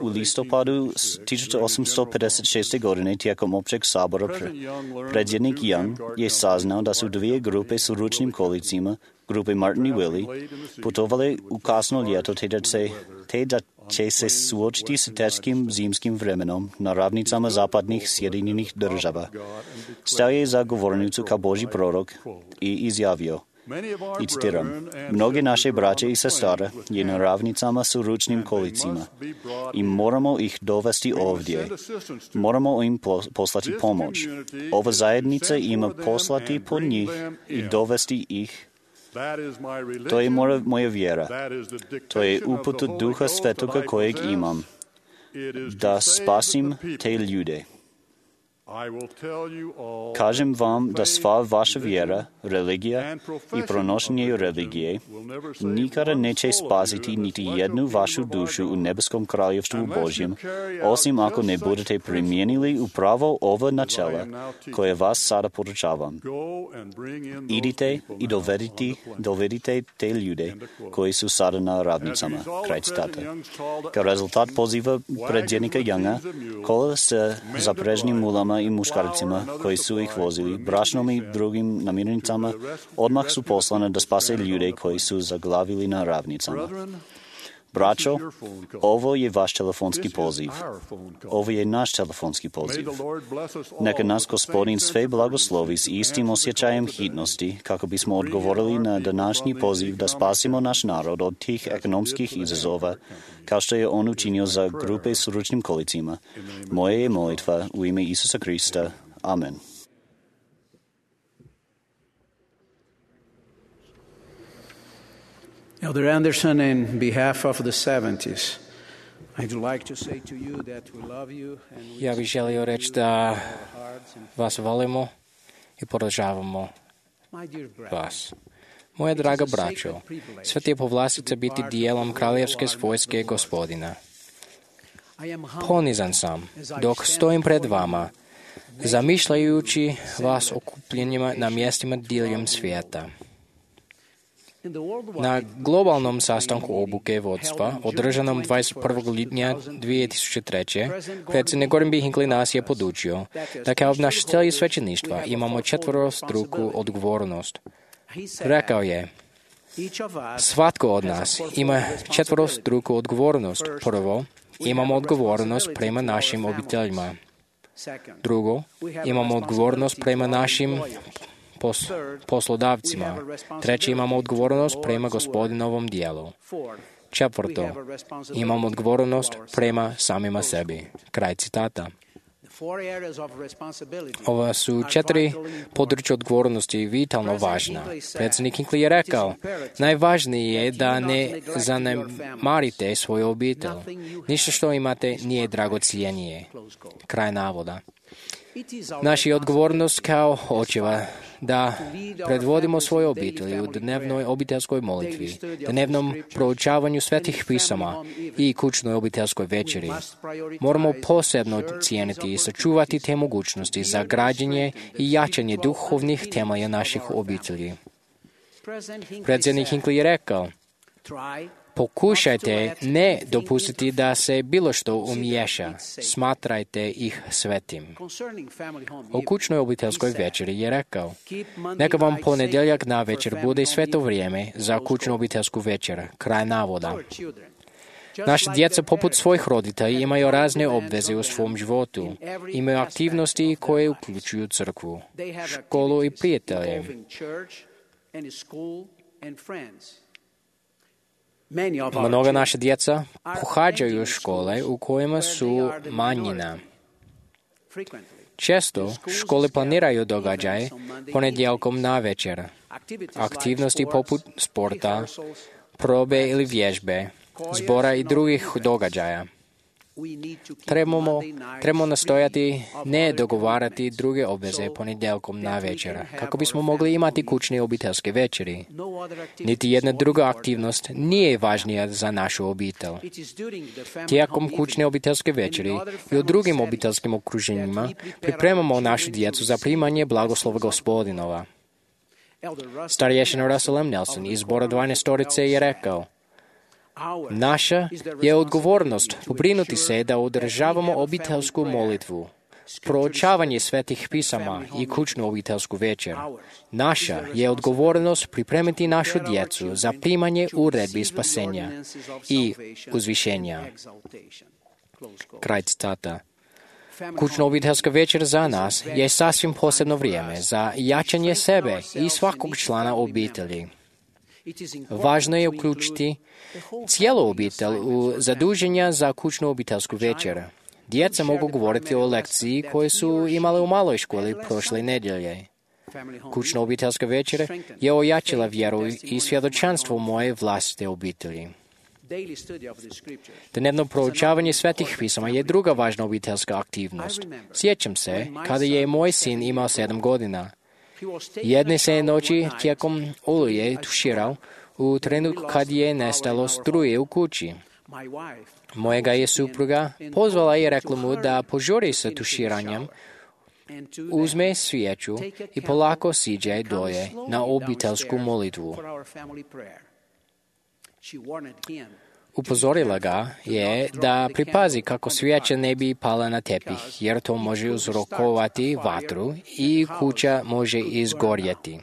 U listopadu tisuću osamsto pedeset šeste. godine tijekom općeg sabora predsjednik Young je saznao da su dvije grupe s ručnim kolicima, grupe Martin i Willie, putovali u kasno ljeto te da, se, te da će se suočiti s teškim zimskim vremenom na ravnicama zapadnih Sjedinjenih država. Stao je za govornicu kao Božji prorok i izjavio, i citiram, mnoge naše braće i sestre je na ravnicama s ručnim kolicima i moramo ih dovesti ovdje. Moramo im poslati pomoć. Ova zajednica ima poslati po njih i dovesti ih. To je moja, moja vjera. To je uput Duha Svetoga kojeg imam, da spasim te ljude. Kažem vam da sva vaša vjera, religija i pronošenje religije nikada neće spasiti niti jednu vašu dušu u nebeskom kraljevstvu Božjem, osim ako ne budete primijenili upravo ova načela koje vas sada podučavam. Idite i dovedite, dovedite te ljude koji su sada na ravnicama. Kraj citata. Kao rezultat poziva predsjednika Younga, kola sa zaprežnim mulama i muškarcima koji su ih vozili, brašnom i drugim namirnicama, odmah su poslane da spase ljude koji su zaglavili na ravnicama. Braćo, ovo je vaš telefonski poziv. Ovo je naš telefonski poziv. Neka nas Gospodin sve blagoslovi s istim osjećajem hitnosti kako bismo odgovorili na današnji poziv da spasimo naš narod od tih ekonomskih izazova, kao što je on učinio za grupe s ručnim kolicima. Moje je molitva u ime Isusa Krista. Amen. Elder Anderson, in behalf of the seventies, I'd like to say to you that we love you and we Ja bih želio reći da vas volimo i podržavamo vas. Moja draga braćo, svet je povlastica biti dijelom kraljevske vojske Gospodina. Ponizan sam dok stojim pred vama, zamišljajući vas okupljenima na mjestima diljem svijeta. Na globalnom sastanku obuke vodstva, održanom dvadeset prvog lipnja dvije tisuće treće. predsjednik Gordon B. Hinckley nas je podučio da kao obnašatelji svećeništva imamo četvorostruku odgovornost. Rekao je, svatko od nas ima četvorostruku odgovornost. Prvo, imamo odgovornost prema našim obiteljima. Drugo, imamo odgovornost prema našim Pos, poslodavcima. Treće, imamo odgovornost prema Gospodinovom dijelu. Četvrto, imamo odgovornost prema samima sebi. Kraj citata. Ova su četiri područja odgovornosti vitalno važna. Predsjednik Hinckley je rekao, najvažnije je da ne zanemarite svoju obitelj. Ništa što imate nije dragocjenije. Kraj navoda. Naša je odgovornost kao očeva da predvodimo svoje obitelji u dnevnoj obiteljskoj molitvi, dnevnom proučavanju svetih pisama i kućnoj obiteljskoj večeri. Moramo posebno cijeniti i sačuvati te mogućnosti za građenje i jačanje duhovnih temelja naših obitelji. Predsjednik Hinckley je rekao, pokušajte ne dopustiti da se bilo što umiješa, smatrajte ih svetim. O kućnoj obiteljskoj večeri je rekao, neka vam ponedjeljak na večer bude sveto vrijeme za kućnu obiteljsku večer, kraj navoda. Naša djeca poput svojih roditelja imaju razne obveze u svom životu, imaju aktivnosti koje uključuju crkvu, školu i prijatelje. Mnoga naša djeca pohađaju škole u kojima su manjina. Često škole planiraju događaje ponedjeljkom na večer. Aktivnosti poput sporta, probe ili vježbe, zbora i drugih događaja. Trebamo, trebamo nastojati ne dogovarati druge obveze ponedjeljkom na večer, kako bismo mogli imati kućne obiteljske večeri. Niti jedna druga aktivnost nije važnija za našu obitelj. Tijekom kućne obiteljske večeri i u drugim obiteljskim okruženjima pripremamo našu djecu za primanje blagoslova Gospodinova. Starješina Russell M. Nelson iz zbora dvanaestorice je rekao, naša je odgovornost pobrinuti se da održavamo obiteljsku molitvu, proučavanje svetih pisama i kućnu obiteljsku večer. Naša je odgovornost pripremiti našu djecu za primanje uredbi spasenja i uzvišenja. Kraj citata. Kućna obiteljska večer za nas je sasvim posebno vrijeme za jačanje sebe i svakog člana obitelji. Važno je uključiti cijelu obitelj u zaduženja za kućnu obiteljsku večer. Djeca mogu govoriti o lekciji koju su imale u maloj školi prošle nedjelje. Kućna obiteljska večer je ojačila vjeru i svjedočanstvo moje vlastite obitelji. Dnevno proučavanje svetih pisama je druga važna obiteljska aktivnost. Sjećam se kada je moj sin imao sedam godina. Jedne se noći tijekom oluje tuširao u trenutku kad je nestalo struje u kući. Mojega je supruga pozvala i rekla mu da požuri sa tuširanjem, uzme svijeću i polako siđe dolje na obiteljsku molitvu. Upozorila ga je da pripazi kako svijeća ne bi pala na tepih, jer to može uzrokovati vatru i kuća može izgorjeti.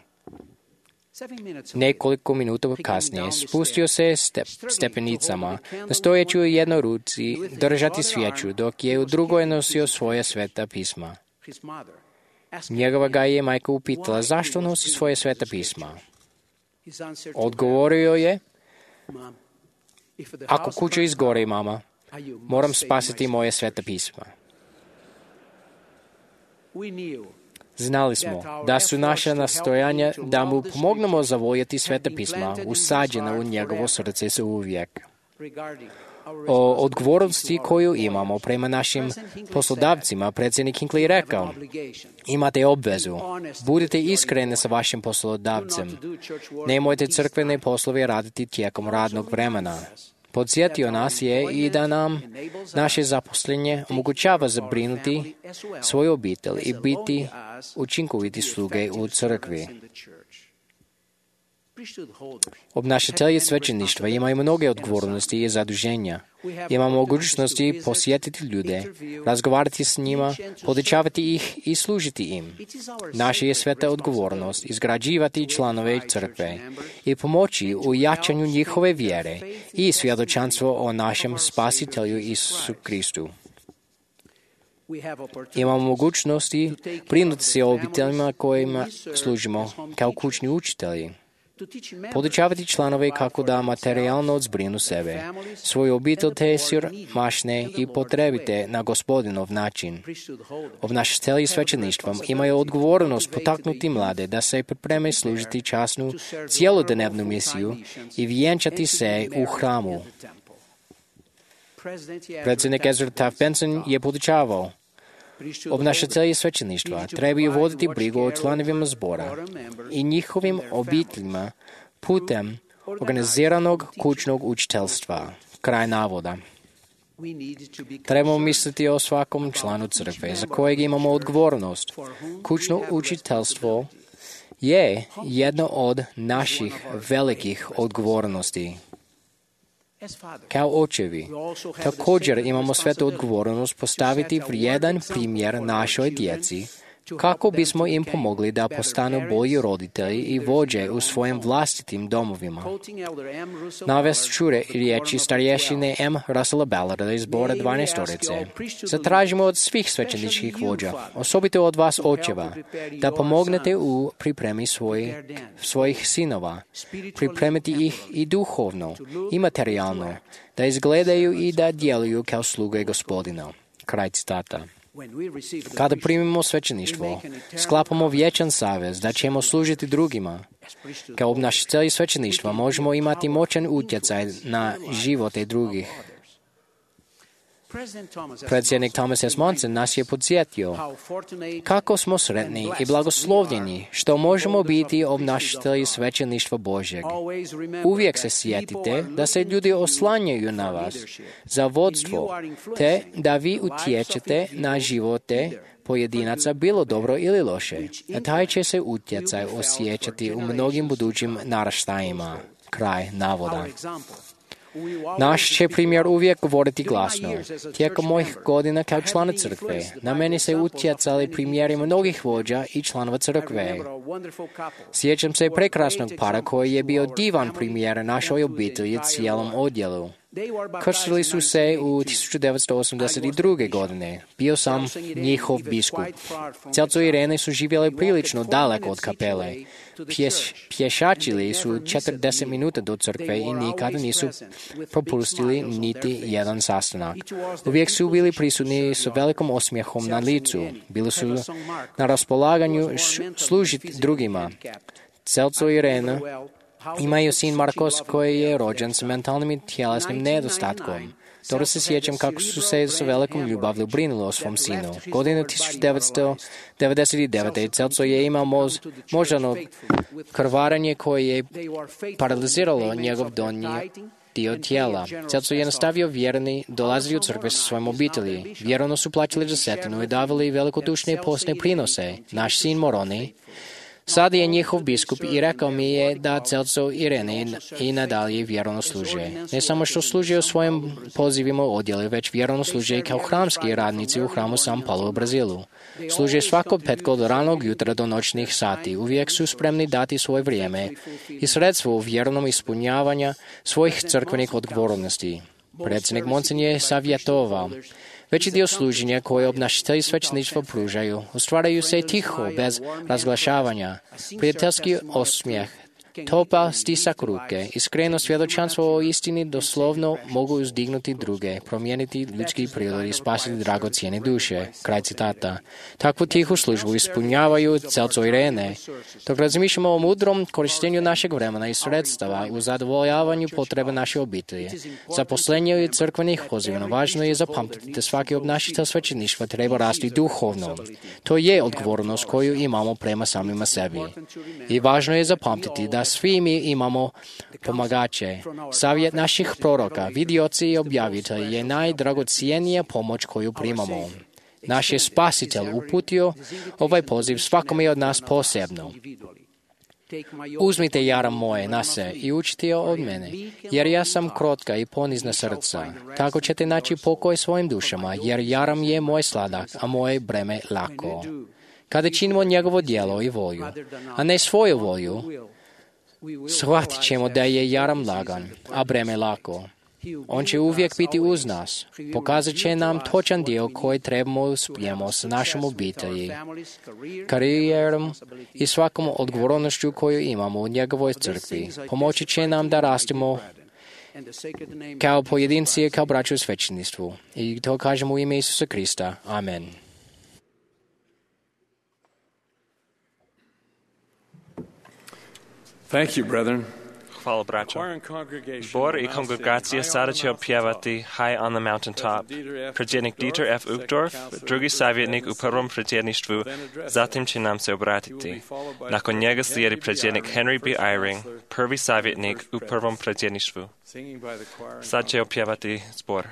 Nekoliko minuta kasnije spustio se step, stepenicama, nastojeći u jednoj ruci držati svijeću, dok je u drugoj nosio svoje sveta pisma. Njegova ga je majka upitala zašto nosi svoje sveta pisma. Odgovorio je, ako kuća izgori, mama, moram spasiti moje sveta pisma. Znali smo da su naša nastojanja da mu pomognemo zavoljeti sveta pisma usađena u njegovo srce za uvijek. O odgovornosti koju imamo prema našim poslodavcima, predsjednik Hinckley rekao, imate obvezu, budite iskreni sa vašim poslodavcem, nemojte crkvene poslove raditi tijekom radnog vremena. Podsjetio nas je i da nam naše zaposlenje omogućava zabrinuti svoju obitelj i biti učinkoviti sluge u crkvi. Obnašatelji svećeništva imaju mnoge odgovornosti i zaduženja. Imamo mogućnosti posjetiti ljude, razgovarati s njima, podučavati ih i služiti im. Naša je sveta odgovornost izgrađivati članove crkve i pomoći u jačanju njihove vjere i svjedočanstvo o našem Spasitelju Isusu Kristu. Imamo mogućnosti brinuti se o obiteljima kojima služimo kao kućni učitelji. Podučavati članove kako da materijalno zbrinu sebe, svoju obitelj te siromašne i potrebite na Gospodinov način. Obnašatelji svećeništvom imaju odgovornost potaknuti mlade da se pripreme služiti časnu cijelodnevnu misiju i vjenčati se u hramu. Predsjednik Ezra Taft Benson je podučavao, Obnašatelji svećeništva trebaju voditi brigu o članovima zbora i njihovim obiteljima putem organiziranog kućnog učiteljstva. Kraj navoda. Trebamo misliti o svakom članu crkve za kojeg imamo odgovornost. Kućno učiteljstvo je jedno od naših velikih odgovornosti. Kao očevi, također imamo svetu odgovornost postaviti vrijedan primjer našoj djeci kako bismo im pomogli da postanu bolji roditelji i vođe u svojim vlastitim domovima. Navest ću riječi starješine M. Russella Ballarda iz Zbora dvanaestorice. Zatražimo od svih svećeničkih vođa, osobito od vas očeva, da pomognete u pripremi svoj, svojih sinova, pripremiti ih i duhovno i materijalno, da izgledaju i da djeluju kao sluge Gospodina. Kraj citata. Kada primimo svećeništvo, sklapamo vječan savez da ćemo služiti drugima. Kao obnašatelji svećeništva možemo imati moćan utjecaj na živote drugih. Predsjednik Thomas S. Monson nas je podsjetio kako smo sretni i blagoslovljeni što možemo biti obnašatelji svećeništva Božjeg. Uvijek se sjetite da se ljudi oslanjaju na vas za vodstvo, te da vi utječete na živote pojedinaca bilo dobro ili loše. A taj će se utjecaj osjećati u mnogim budućim naraštajima. Kraj navoda. Naš će primjer uvijek govoriti glasno. Tijekom mojih godina kao člana crkve, na meni se utjecali primjeri mnogih vođa i članova crkve. Sjećam se prekrasnog para koji je bio divan primjer našoj obitelji cijelom odjelu. Krstili su se u tisuću devetsto osamdeset druge. godine. Bio sam njihov biskup. Celco i Irene su živjeli prilično daleko od kapele. Pješ, pješačili su četrdeset minuta do crkve i nikada nisu propustili niti jedan sastanak. Uvijek su bili prisutni s velikom osmijehom na licu. Bili su na raspolaganju služiti drugima. Celco i Irene imaju sin Markos koji je rođen s mentalnim i tjelesnim nedostatkom. Dobro se sjećam kako su se s velikom ljubavlju brinuli o svom sinu. Godine tisuću devetsto devedeset devete. Celco je imao moz, moždano krvarenje koje je paraliziralo njegov donji dio tijela. Celco je nastavio vjerni, dolazili u crkve sa svojim obitelji. Vjerno su plaćali desetinu i davali velikodušne i postne prinose. Naš sin Moroni sad je njihov biskup i rekao mi je da Celco i Irene i nadalje vjerno služe. Ne samo što služe u svojim pozivima u odjeli, već vjerno služe i kao hramski radnici u hramu San Paulo u Brazilu. Služe svakog petka od ranog jutra do noćnih sati. Uvijek su spremni dati svoje vrijeme i sredstvo u vjernom ispunjavanja svojih crkvenih odgovornosti. Predsjednik Monson je savjetovao: veći dio služenja koje obnašatelji svećeništva pružaju ostvaraju se tiho, bez razglašavanja. Prijateljski osmijeh, topal stisak ruke, iskreno svjedočanstvo o istini doslovno mogu uzdignuti druge, promijeniti ljudski prirod i spasiti dragocijene duše. Kraj citata. Takvu tihu službu ispunjavaju Celco i Irene. Dok razmišljamo o mudrom korištenju našeg vremena i sredstava u zadovoljavanju potrebe naše obitelji, zaposlenje i crkvenih poziva, važno je zapamtiti da svaki obnašatelj svećeništva treba rasti duhovno. To je odgovornost koju imamo prema samima sebi. I važno je zapamtiti da svi mi imamo pomagače. Savjet naših proroka, vidioci i objavitelji je najdragocijenija pomoć koju primamo. Naš je Spasitelj uputio ovaj poziv svakome od nas posebno. Uzmite jaram moje na se i učite od mene, jer ja sam krotka i ponizna srca. Tako ćete naći pokoj svojim dušama, jer jaram je moj sladak, a moje breme lako. Kada činimo njegovo djelo i volju, a ne svoju volju, shvatit ćemo da je jaram lagan, a breme lako. On će uvijek biti uz nas. Pokazat će nam točan dio koji trebamo uspijemo s našom obitelji, karijerom i svakom odgovornošću koju imamo u njegovoj crkvi. Pomoći će nam da rastemo kao pojedinci i kao braća u svećeništvu. I to kažemo u ime Isusa Krista. Amen. Thank you, brethren. Hvala, braćo. Zbor i kongregacija sada će opjevati High on the Mountaintop. Predsjednik Dieter F. Uchtdorf, drugi savjetnik u prvom predsjedništvu, zatim će nam se obratiti. Nakon njega slijedi predsjednik Henry B. Eyring, prvi savjetnik u prvom predsjedništvu. Sad će opjevati zbor.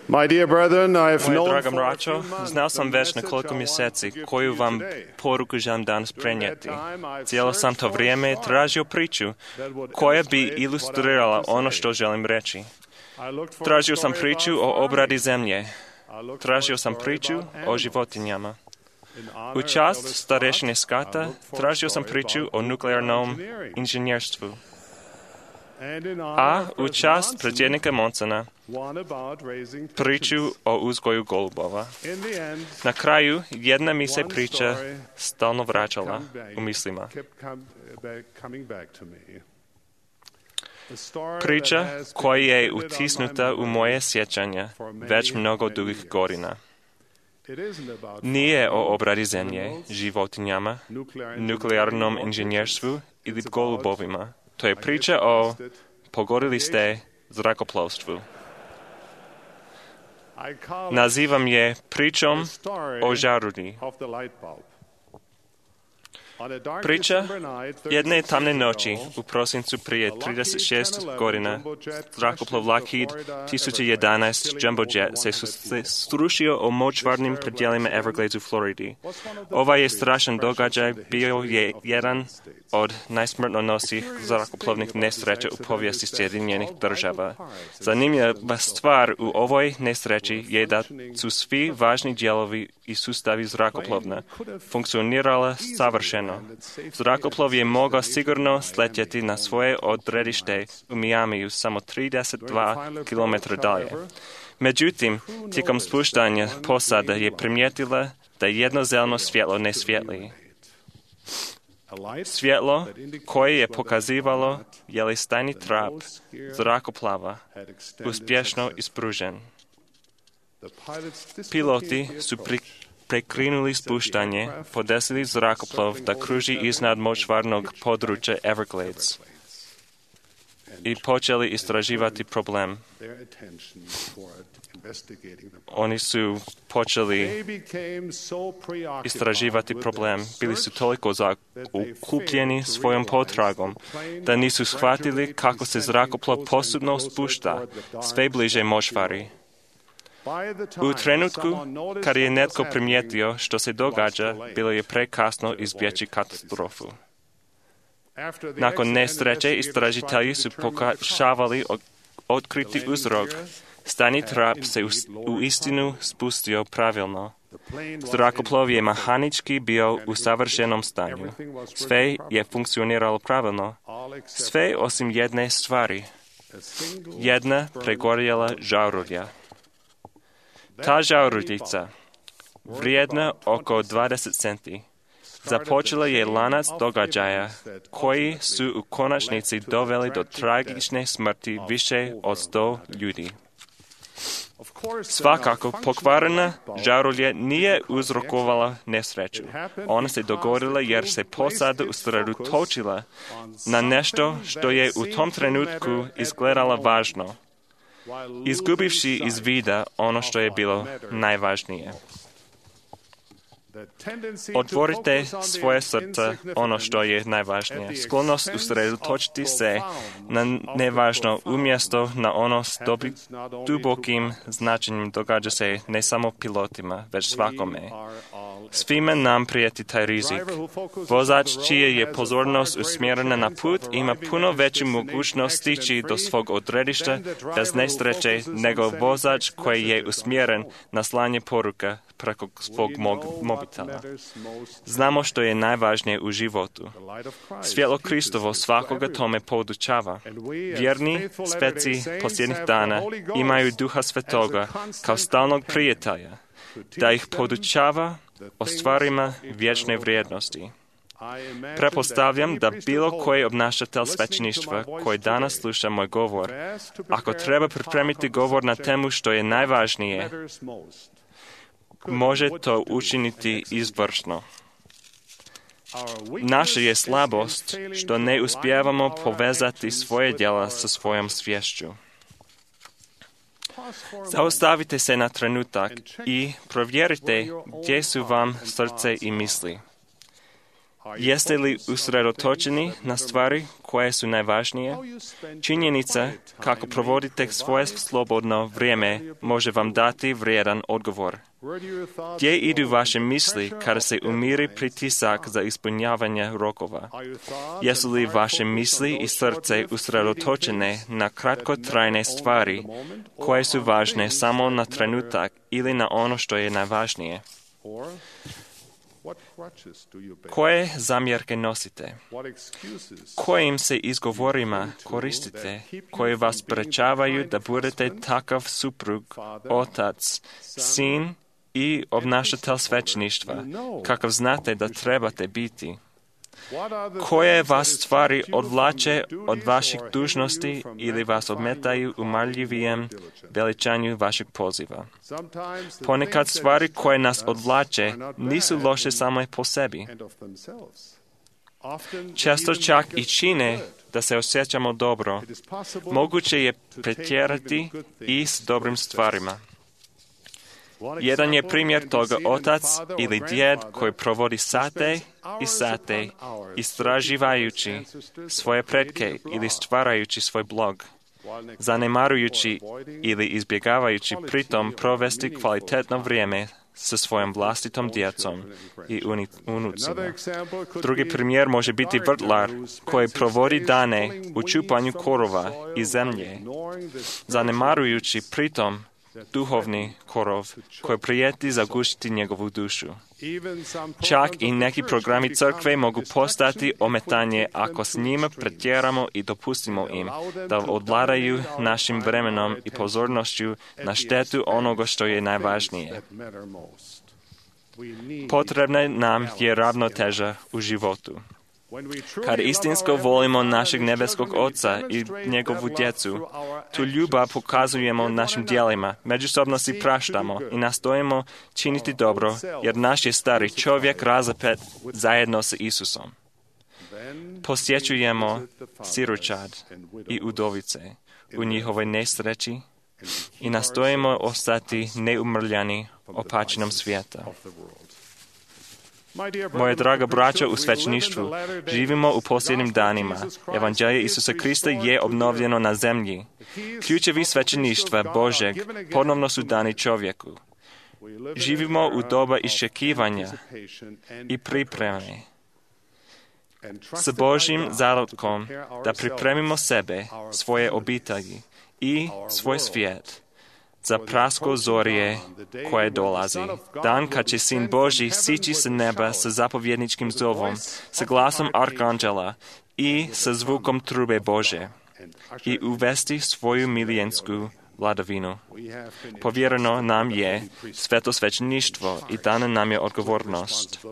My dear brethren, I have Moje known draga for a braćo, few months znao the sam već message nekoliko I mjeseci want to koju vam preach today. poruku želim danas prenijeti. During that time, I've Cijelo sam to searched for a vrijeme song tražio priču that would koja bi illustrate what I ilustrirala want to ono say. što želim reći. I looked for a Tražio sam story priču about o obradi farming. zemlje. I looked Tražio for a sam story priču about o animals. životinjama. In honor U of čast Elder starešine Scott, I Skata looked for a tražio sam story priču about o nuclear nuklearnom engineering. inženjerstvu. And in honor A of u President čast Monson, predsjednika Monsona one about raising priču pigeons. o uzgoju golubova. In the end, Na kraju jedna mi se one priča story stalno vraćala come back- u mislima. kept come back- coming back to me. The story that Priča has been koja je printed on my utisnuta u memory moje sjećanja for many, već mnogo many dugih years. godina. It isn't about Nije farming, o obradi zemlje, animals, životinjama, nuclear nuklearnom engineering, inženjerstvu ili It's about- golubovima. To je I priča guess o you guessed it, pogodili ste zrakoplovstvu. I call it Nazivam je pričom the story o žarulji. of the light bulb. On a dark Priča December night, jedne thirty-six tamne years noći ago, u prosincu prije a Lockheed trideset šest ten eleven godina jumbojet zrakoplov crashed into Lockheed Florida tisuće Everglades, jedanaest killing Jumbojet over se one hundred se people. strušio o močvarnim predjelima Everglades u Floridi. Ovaj je strašan događaj bio je jedan od najsmrtonosnijih zrakoplovnih nesreća u povijesti Sjedinjenih država. Zanimljiva stvar u ovoj nesreći je da su svi važni dijelovi i sustavi zrakoplovna funkcionirala savršeno. Zrakoplov je mogao sigurno sletjeti na svoje odredište u Miamiju samo trideset dva kilometra dalje. Međutim, tijekom spuštanja posada je primijetila da jedno zeleno svjetlo ne svijetli. Svjetlo koje je pokazivalo je li stajni trap zrakoplava uspješno ispružen. Piloti su pri, prekrinuli spuštanje, podesili zrakoplov da kruži iznad močvarnog područja Everglades i počeli istraživati problem. Oni su počeli istraživati problem. Bili su toliko okupljeni svojom potragom da nisu shvatili kako se zrakoplov postupno spušta sve bliže močvari. U trenutku kad je netko primijetio što se događa, bilo je prekasno izbjeći katastrofu. Nakon nesreće istražitelji su pokušavali otkriti uzrok. Stani trap se u istinu spustio pravilno. Zrakoplov je mehanički bio u savršenom stanju. Sve je funkcioniralo pravilno. Sve osim jedne stvari. Jedna pregorjela žarulja. Ta žaruljica, vrijedna oko dvadeset centi, započela je lanac događaja koji su u konačnici doveli do tragične smrti više od sto ljudi. Svakako, pokvarena žarulja nije uzrokovala nesreću. Ona se dogodila jer se posada usredotočila na nešto što je u tom trenutku izgledalo važno, izgubivši iz vida ono što je bilo najvažnije. Otvorite svoje srce ono što je najvažnije. Sklonost usredotočiti se na nevažno umjesto na ono s dubokim značenjem događa se ne samo pilotima, već svakome. Svima nam prijeti taj rizik. Vozač čija je pozornost usmjerena na put ima puno veću mogućnost stići do svog odredišta bez nesreće nego vozač koji je usmjeren na slanje poruka preko svog mobitela. Znamo što je najvažnije u životu. Svjetlo Kristovo svakoga tome podučava. Vjerni speci posljednjih dana imaju Duha Svetoga kao stalnog prijatelja, da ih podučava o stvarima vječne vrijednosti. Pretpostavljam da bilo koji obnašatelj svećeništva koji danas sluša moj govor, ako treba pripremiti govor na temu što je najvažnije, može to učiniti izvrsno. Naša je slabost što ne uspijevamo povezati svoje djela sa svojom sviješću. Zaustavite se na trenutak i provjerite gdje su vam srce i misli. Jeste li usredotočeni na stvari koje su najvažnije? Činjenica kako provodite svoje slobodno vrijeme može vam dati vrijedan odgovor. Gdje idu vaše misli kada se umiri pritisak za ispunjavanje rokova? Jesu li vaše misli i srce usredotočene na kratkotrajne stvari koje su važne samo na trenutak ili na ono što je najvažnije? Koje zamjerke nosite? Kojim se izgovorima koristite koji vas sprečavaju da budete takav suprug, otac, sin i obnašatelj svećeništva, kakav znate da trebate biti? Koje vas stvari odvlače od vaših dužnosti ili vas odmetaju u marljivijem veličanju vašeg poziva? Ponekad stvari koje nas odvlače nisu loše same po sebi. Često čak i čine da se osjećamo dobro. Moguće je pretjerati i s dobrim stvarima. Jedan je primjer toga otac ili djed koji provodi sate i sate istraživajući svoje pretke ili stvarajući svoj blog, zanemarujući ili izbjegavajući pritom provesti kvalitetno vrijeme sa svojom vlastitom djecom i unucima. Drugi primjer može biti vrtlar koji provodi dane u čupanju korova i zemlje, zanemarujući pritom duhovni korov koji prijeti zagušiti njegovu dušu. Čak i neki programi crkve mogu postati ometanje ako s njima pretjeramo i dopustimo im da odvladaju našim vremenom i pozornošću na štetu onoga što je najvažnije. Potrebna nam je ravnoteža u životu. Kad istinsko volimo našeg nebeskog Oca i njegovu djecu, tu ljubav pokazujemo našim djelima, međusobno si praštamo i nastojimo činiti dobro, jer naš je stari čovjek razapet zajedno sa Isusom. Posjećujemo siročad i udovice u njihovoj nesreći i nastojimo ostati neumrljani opačinom svijeta. Moje draga braćo u svećeništvu, živimo u posljednjim danima. Evanđelje Isusa Krista je obnovljeno na zemlji. Ključevi svećeništva Božeg ponovno su dani čovjeku. Živimo u doba iščekivanja i pripreme. S Božjim zarodkom da pripremimo sebe, svoje obitelji i svoj svijet za prasko zorije koje dolazi. Dan kad će Sin Božji sići sa neba sa zapovjedničkim zovom, sa glasom arkanđela i sa zvukom trube Bože i uvesti svoju milijensku vladavinu. Povjereno nam je sveto svećeništvo i dana nam je odgovornost,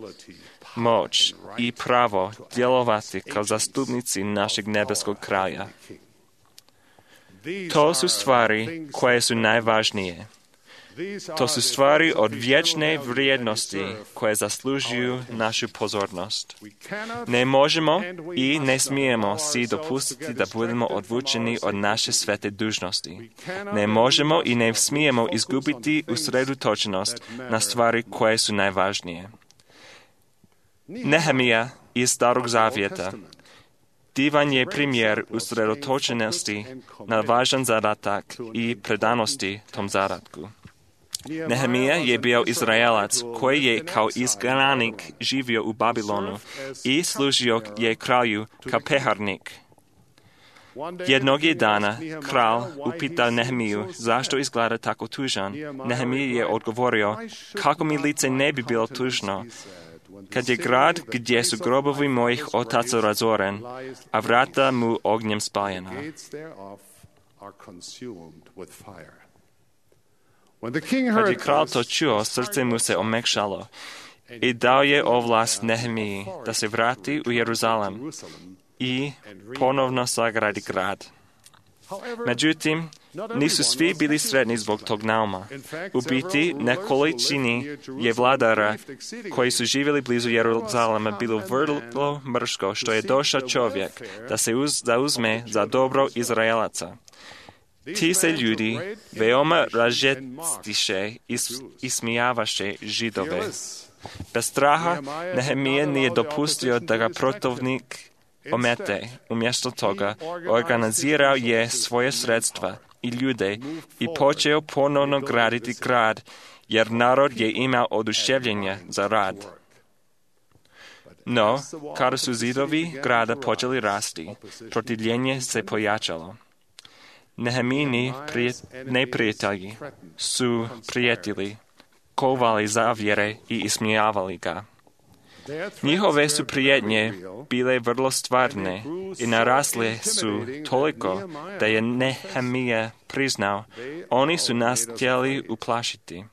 moć i pravo djelovati kao zastupnici našeg nebeskog kralja. To su stvari koje su najvažnije. To su stvari od vječne vrijednosti koje zaslužuju našu pozornost. Ne možemo i ne smijemo si dopustiti da budemo odvučeni od naše svete dužnosti. Ne možemo i ne smijemo izgubiti usredotočenost na stvari koje su najvažnije. Nehemija iz Starog Zavjeta divan je primjer usredotočenosti na važan zadatak i predanosti tom zadatku. Nehemija je bio Izraelac koji je kao izgnanik živio u Babilonu i služio je kralju kao peharnik. Jednog je dana kralj upitao Nehemiju zašto izgleda tako tužan. Nehemija je odgovorio, kako mi lice ne bi bilo tužno, kad je grad gdje su grobovi mojih otaca razoren, a vrata mu ognjem spaljena. Kad je kralj to čuo, srce mu se omekšalo i dao je ovlast Nehemiji da se vrati u Jeruzalem i ponovno sagradi grad. Međutim, nisu svi bili sretni zbog tog nauma. U biti, nekolicini je vladara koji su živjeli blizu Jeruzalema bilo vrlo mrško što je došao čovjek da se uz, zauzme za dobro Izraelaca. Ti se ljudi veoma ražestiše i ismijavaše Židove. Bez straha Nehemija nije dopustio da ga protivnik omete. Umjesto toga organizirao je svoje sredstva i ljude i počeo ponovno graditi grad, jer narod je imao oduševljenje za rad. No, kada su zidovi grada počeli rasti, protivljenje se pojačalo. Nehemijini neprijatelji su prijetili, kovali zavjere i ismijavali ga. Njihove su prijetnje bile vrlo stvarne i narasle su toliko da je Nehemija priznao, oni su nas htjeli uplašiti.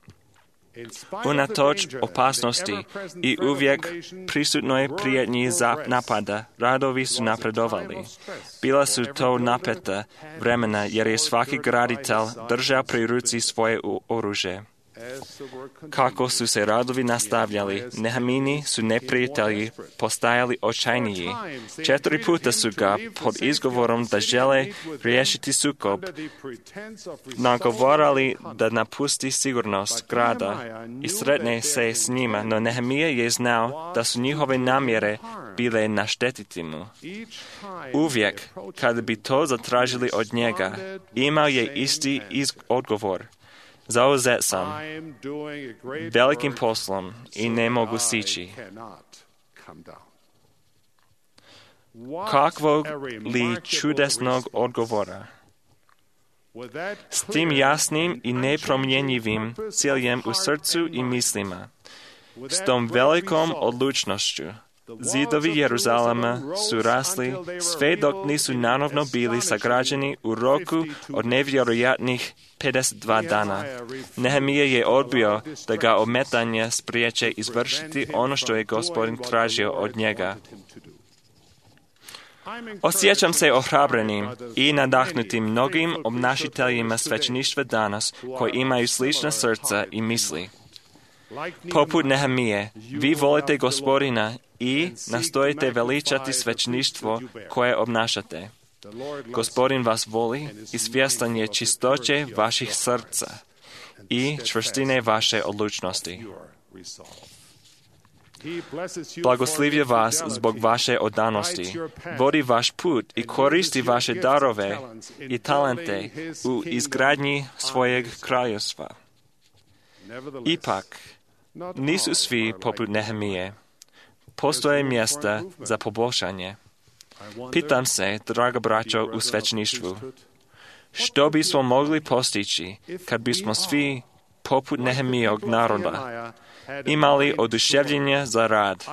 Unatoč opasnosti i uvijek prisutnoj prijetnji za napada, radovi su napredovali. Bila su to napeta vremena jer je svaki graditelj držao pri ruci svoje oružje. Kako su se radovi nastavljali, Nehemini su neprijatelji postajali očajniji. Četiri puta su ga pod izgovorom da žele riješiti sukob nagovarali da napusti sigurnost grada i sretne se s njima, no Nehemija je znao da su njihove namjere bile naštetiti mu. Uvijek, kada bi to zatražili od njega, imao je isti odgovor. Zauzet sam velikim poslom i ne mogu sići. Kakvog li čudesnog odgovora? S tim jasnim i nepromjenjivim ciljem u srcu i mislima, s tom velikom odlučnošću, zidovi Jeruzalema su rasli sve dok nisu nanovno bili sagrađeni u roku od nevjerojatnih pedeset dva dana. Nehemija je odbio da ga ometanje spriječe izvršiti ono što je Gospodin tražio od njega. Osjećam se ohrabrenim i nadahnutim mnogim obnašiteljima svećeništva danas koji imaju slična srca i misli. Poput Nehemije, vi volite Gospodina i nastojite veličati svećeništvo koje obnašate. Gospodin vas voli i svjestan je čistoće vaših srca i čvrstine vaše odlučnosti. Blagoslivlja vas zbog vaše odanosti, vodi vaš put i koristi vaše darove i talente u izgradnji svojeg kraljevstva. Ipak, nisu svi poput Nehemije. Postoje mjesta za poboljšanje. Pitam se, draga braćo u svećeništvu, što bismo mogli postići kad bismo svi poput Nehemijog naroda imali oduševljenje za rad?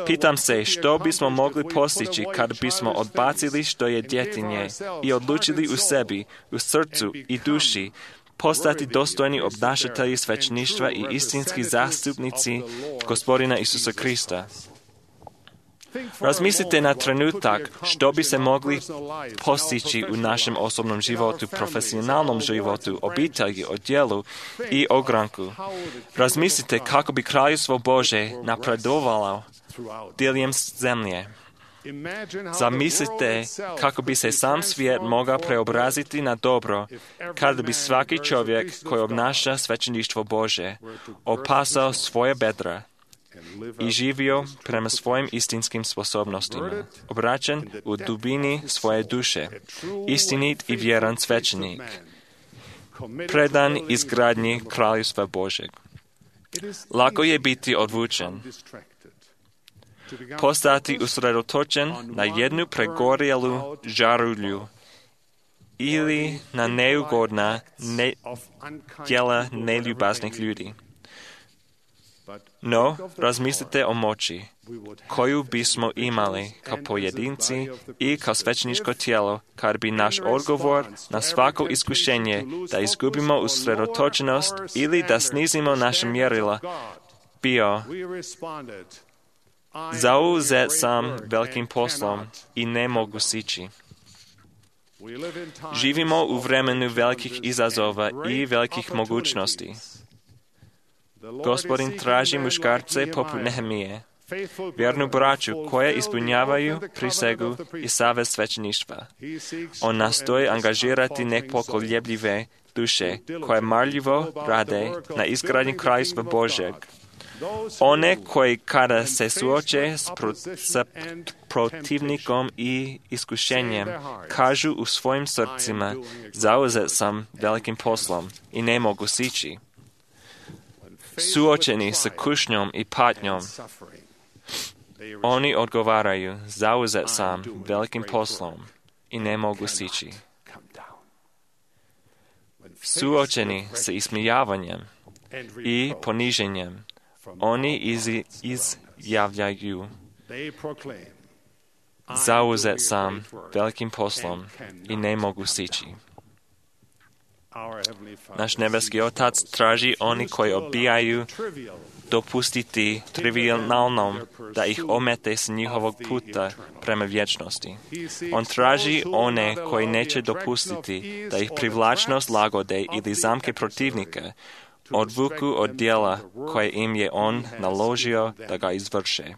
Pitam se, što bismo mogli postići kad bismo odbacili što je djetinje i odlučili u sebi, u srcu i duši postati dostojni obnašatelji svećeništva i istinski zastupnici Gospodina Isusa Krista. Razmislite na trenutak što bi se mogli postići u našem osobnom životu, profesionalnom životu, obitelji, odjelu i ogranku. Razmislite kako bi Kraljevstvo Bože napredovalo diljem zemlje. Zamislite kako bi se sam svijet mogao preobraziti na dobro kada bi svaki čovjek koji obnaša svećeništvo Bože opasao svoje bedra i živio prema svojim istinskim sposobnostima, obraćen u dubini svoje duše, istinit i vjeran svećenik, predan izgradnji Kraljevstva Božeg. Lako je biti odvučen, postati usredotočen na jednu pregorjelu žarulju ili na neugodna ne, djela neljubaznih ljudi. No, razmislite o moći koju bismo imali kao pojedinci i kao svećeničko tijelo, kad bi naš odgovor na svako iskušenje da izgubimo usredotočenost ili da snizimo naše mjerila bio: zauzet sam velikim poslom i ne mogu sići. Živimo u vremenu velikih izazova i velikih mogućnosti. Gospodin traži muškarce poput Nehemije, vjernu braću koje ispunjavaju prisegu i savez svećeništva. On nastoji angažirati nepokoljebljive duše koje marljivo rade na izgradnji Kraljevstva Božeg. One koji kada se suoče s, pro, s protivnikom i iskušenjem kažu u svojim srcima: zauzet sam velikim poslom i ne mogu sići. Suočeni s kušnjom i patnjom, oni odgovaraju: zauzet sam velikim poslom i ne mogu sići. Suočeni s ismijavanjem i poniženjem, oni iz, izjavljaju: zauzet sam velikim poslom i ne mogu sići. Naš nebeski Otac traži oni koji odbijaju dopustiti trivialnom da ih omete s njihovog puta prema vječnosti. On traži one koji neće dopustiti da ih privlačnost lagode ili zamke protivnika odvuku od djela koje im je on naložio da ga izvrše.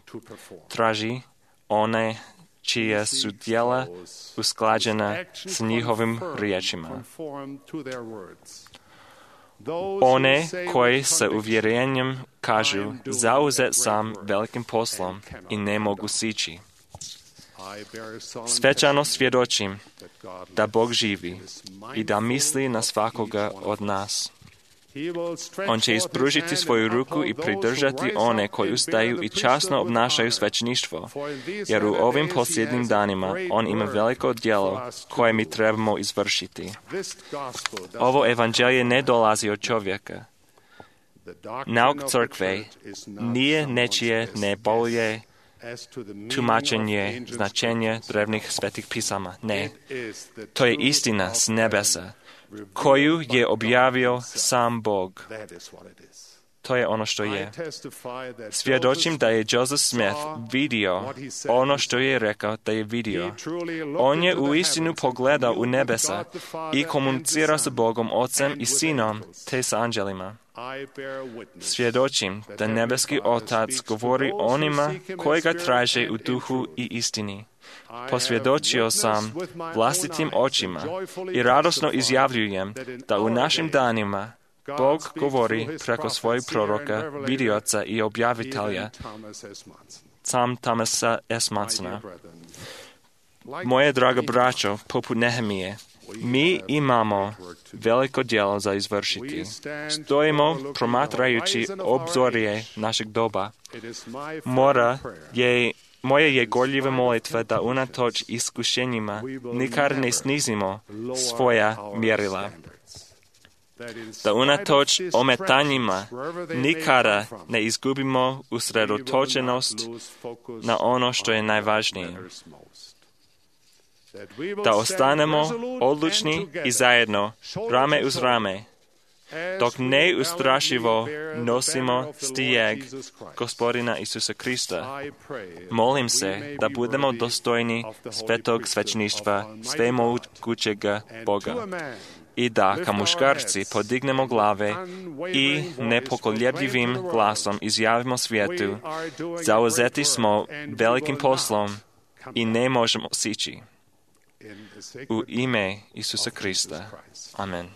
Traži one čija su djela usklađena s njihovim riječima. One koji sa uvjerenjem kažu: zauzet sam velikim poslom i ne mogu sići. Svečano svjedočim da Bog živi i da misli na svakoga od nas. On će ispružiti svoju ruku i pridržati one koji ustaju i časno obnašaju svećeništvo, jer u ovim posljednjim danima on ima veliko djelo koje mi trebamo izvršiti. Ovo evanđelje ne dolazi od čovjeka. Nauk crkve nije nečije nebolje tumačenje značenja drevnih svetih pisama. Ne, to je istina s nebesa, koju je objavio sam Bog. to je ono što je. Svjedočim da je Joseph Smith vidio ono što je rekao da je vidio. On je u istinu pogledao u nebesa i komunicirao sa Bogom, Ocem i Sinom, te sa anđelima. Svjedočim da nebeski Otac govori onima koji ga traže u duhu i istini. Posvjedočio sam vlastitim očima i radosno izjavljujem da u našim danima Bog govori preko svojeg proroka, vidioca i objavitelja, sam Thomasa S. Mansona. Moje draga braćo, poput Nehemije, mi imamo veliko djelo za izvršiti. Stojimo promatrajući obzorje našeg doba. Mora je Moje je gorljiva molitva da unatoč iskušenjima nikad ne snizimo svoja mjerila. Da unatoč ometanjima nikada ne izgubimo usredotočenost na ono što je najvažnije. Da ostanemo odlučni i zajedno, rame uz rame, dok neustrašivo nosimo stijeg Gospodina Isusa Krista. Molim se da budemo dostojni svetog svećeništva svemogućega Boga i da, kao muškarci, podignemo glave i nepokoljebljivim glasom izjavimo svijetu: zauzeti smo velikim poslom i ne možemo sići. U ime Isusa Krista. Amen.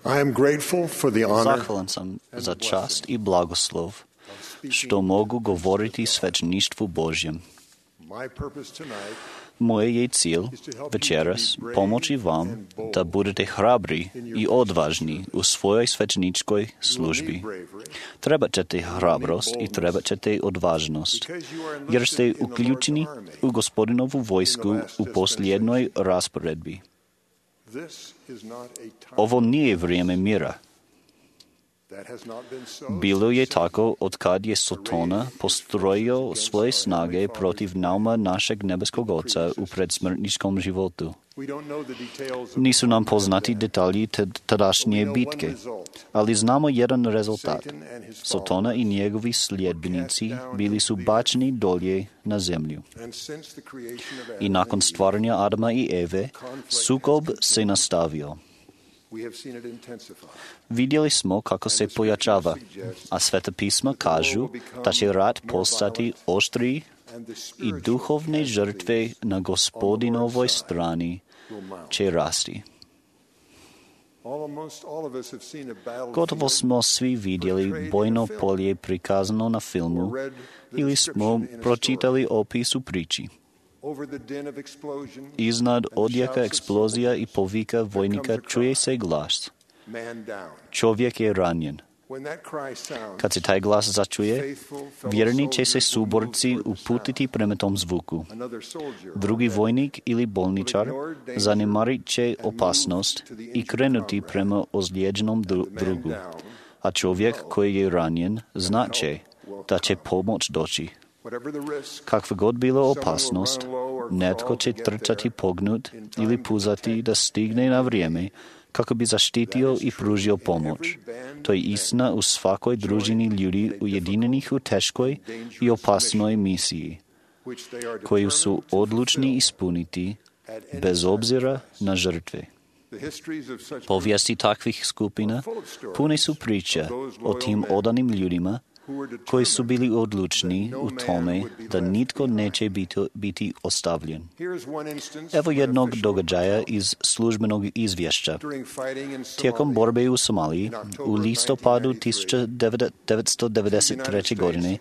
I am grateful for the honor. Zahvalan sam za čast i blagoslov što mogu govoriti svećeništvu Božjem. Moje je cilj večeras pomoći vam da budete hrabri i odvažni u svojoj svećeničkoj službi. Trebat ćete hrabrost i trebat ćete odvažnost, jer ste uključeni u Gospodinovu vojsku u posljednoj rasporedbi. Ovo nije vrijeme mira. Bilo je tako od kad je Sotona postrojio svoje snage protiv nauma našeg nebeskog Oca u predsmrtničkom životu. Nisu nam poznati detalji tadašnje bitke, ali znamo jedan rezultat. Sotona i njegovi sljedbenici bili su bačeni dolje na zemlju. I nakon stvaranja Adama i Eve, sukob se nastavio. Vidjeli smo kako se pojačava, a Sveta pisma kažu da će rat postati oštriji i duhovne žrtve na Gospodinovoj strani će rasti. Gotovo smo svi vidjeli bojno polje prikazano na filmu ili smo pročitali opis u priči. Iznad odjeka eksplozija i povika vojnika čuje se glas: čovjek je ranjen. Kad se taj glas začuje, vjerni će se suborci uputiti prema tom zvuku. Drugi vojnik ili bolničar zanemarit će opasnost i krenuti prema ozlijeđenom drugu, a čovjek koji je ranjen znat će da će pomoć doći. Kakva god bila opasnost, netko će trčati pognut ili puzati da stigne na vrijeme kako bi zaštitio i pružio pomoć. To je istina u svakoj družini ljudi ujedinjenih u teškoj i opasnoj misiji, koju su odlučni ispuniti bez obzira na žrtve. Povijesti takvih skupina pune su priče o tim odanim ljudima koji su bili odlučni u tome da nitko neće biti, biti ostavljen. Evo jednog događaja iz službenog izvješća. Tijekom borbe u Somaliji, u listopadu tisuća devetsto devedeset treće. godine,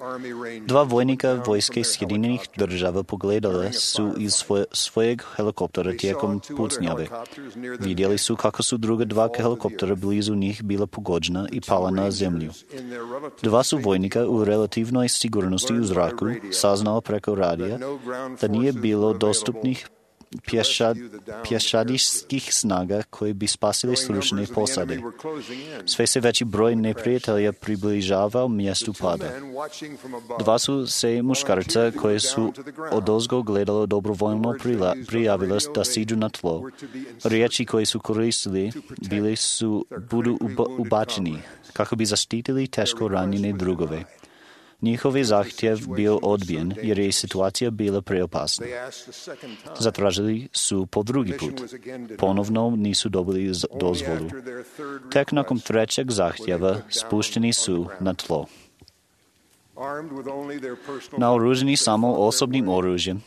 dva vojnika vojske Sjedinjenih država pogledala su iz svoje, svojeg helikoptera tijekom pucnjave. Vidjeli su kako su druga dva helikoptera blizu njih bila pogođena i pala na zemlju. Dva su vojnika u relativnoj sigurnosti u zraku saznao preko radija da nije bilo dostupnih pješad, pješadijskih snaga koji bi spasili stručne posade. Sve se veći broj neprijatelja približavao mjestu pada. Dva su se muškarca koje su odozgo gledalo dobrovoljno prijavila da siđu na tlo. Riječi koje su koristili bili su budu ubačeni kako bi zaštitili teško ranjene drugove. Njihov zahtjev bio odbijen jer je situacija bila preopasna. Zatražili su po drugi put. Ponovno nisu dobili dozvolu. Tek nakon trećeg zahtjeva spušteni su na tlo. Naoruženi samo osobnim oružjem,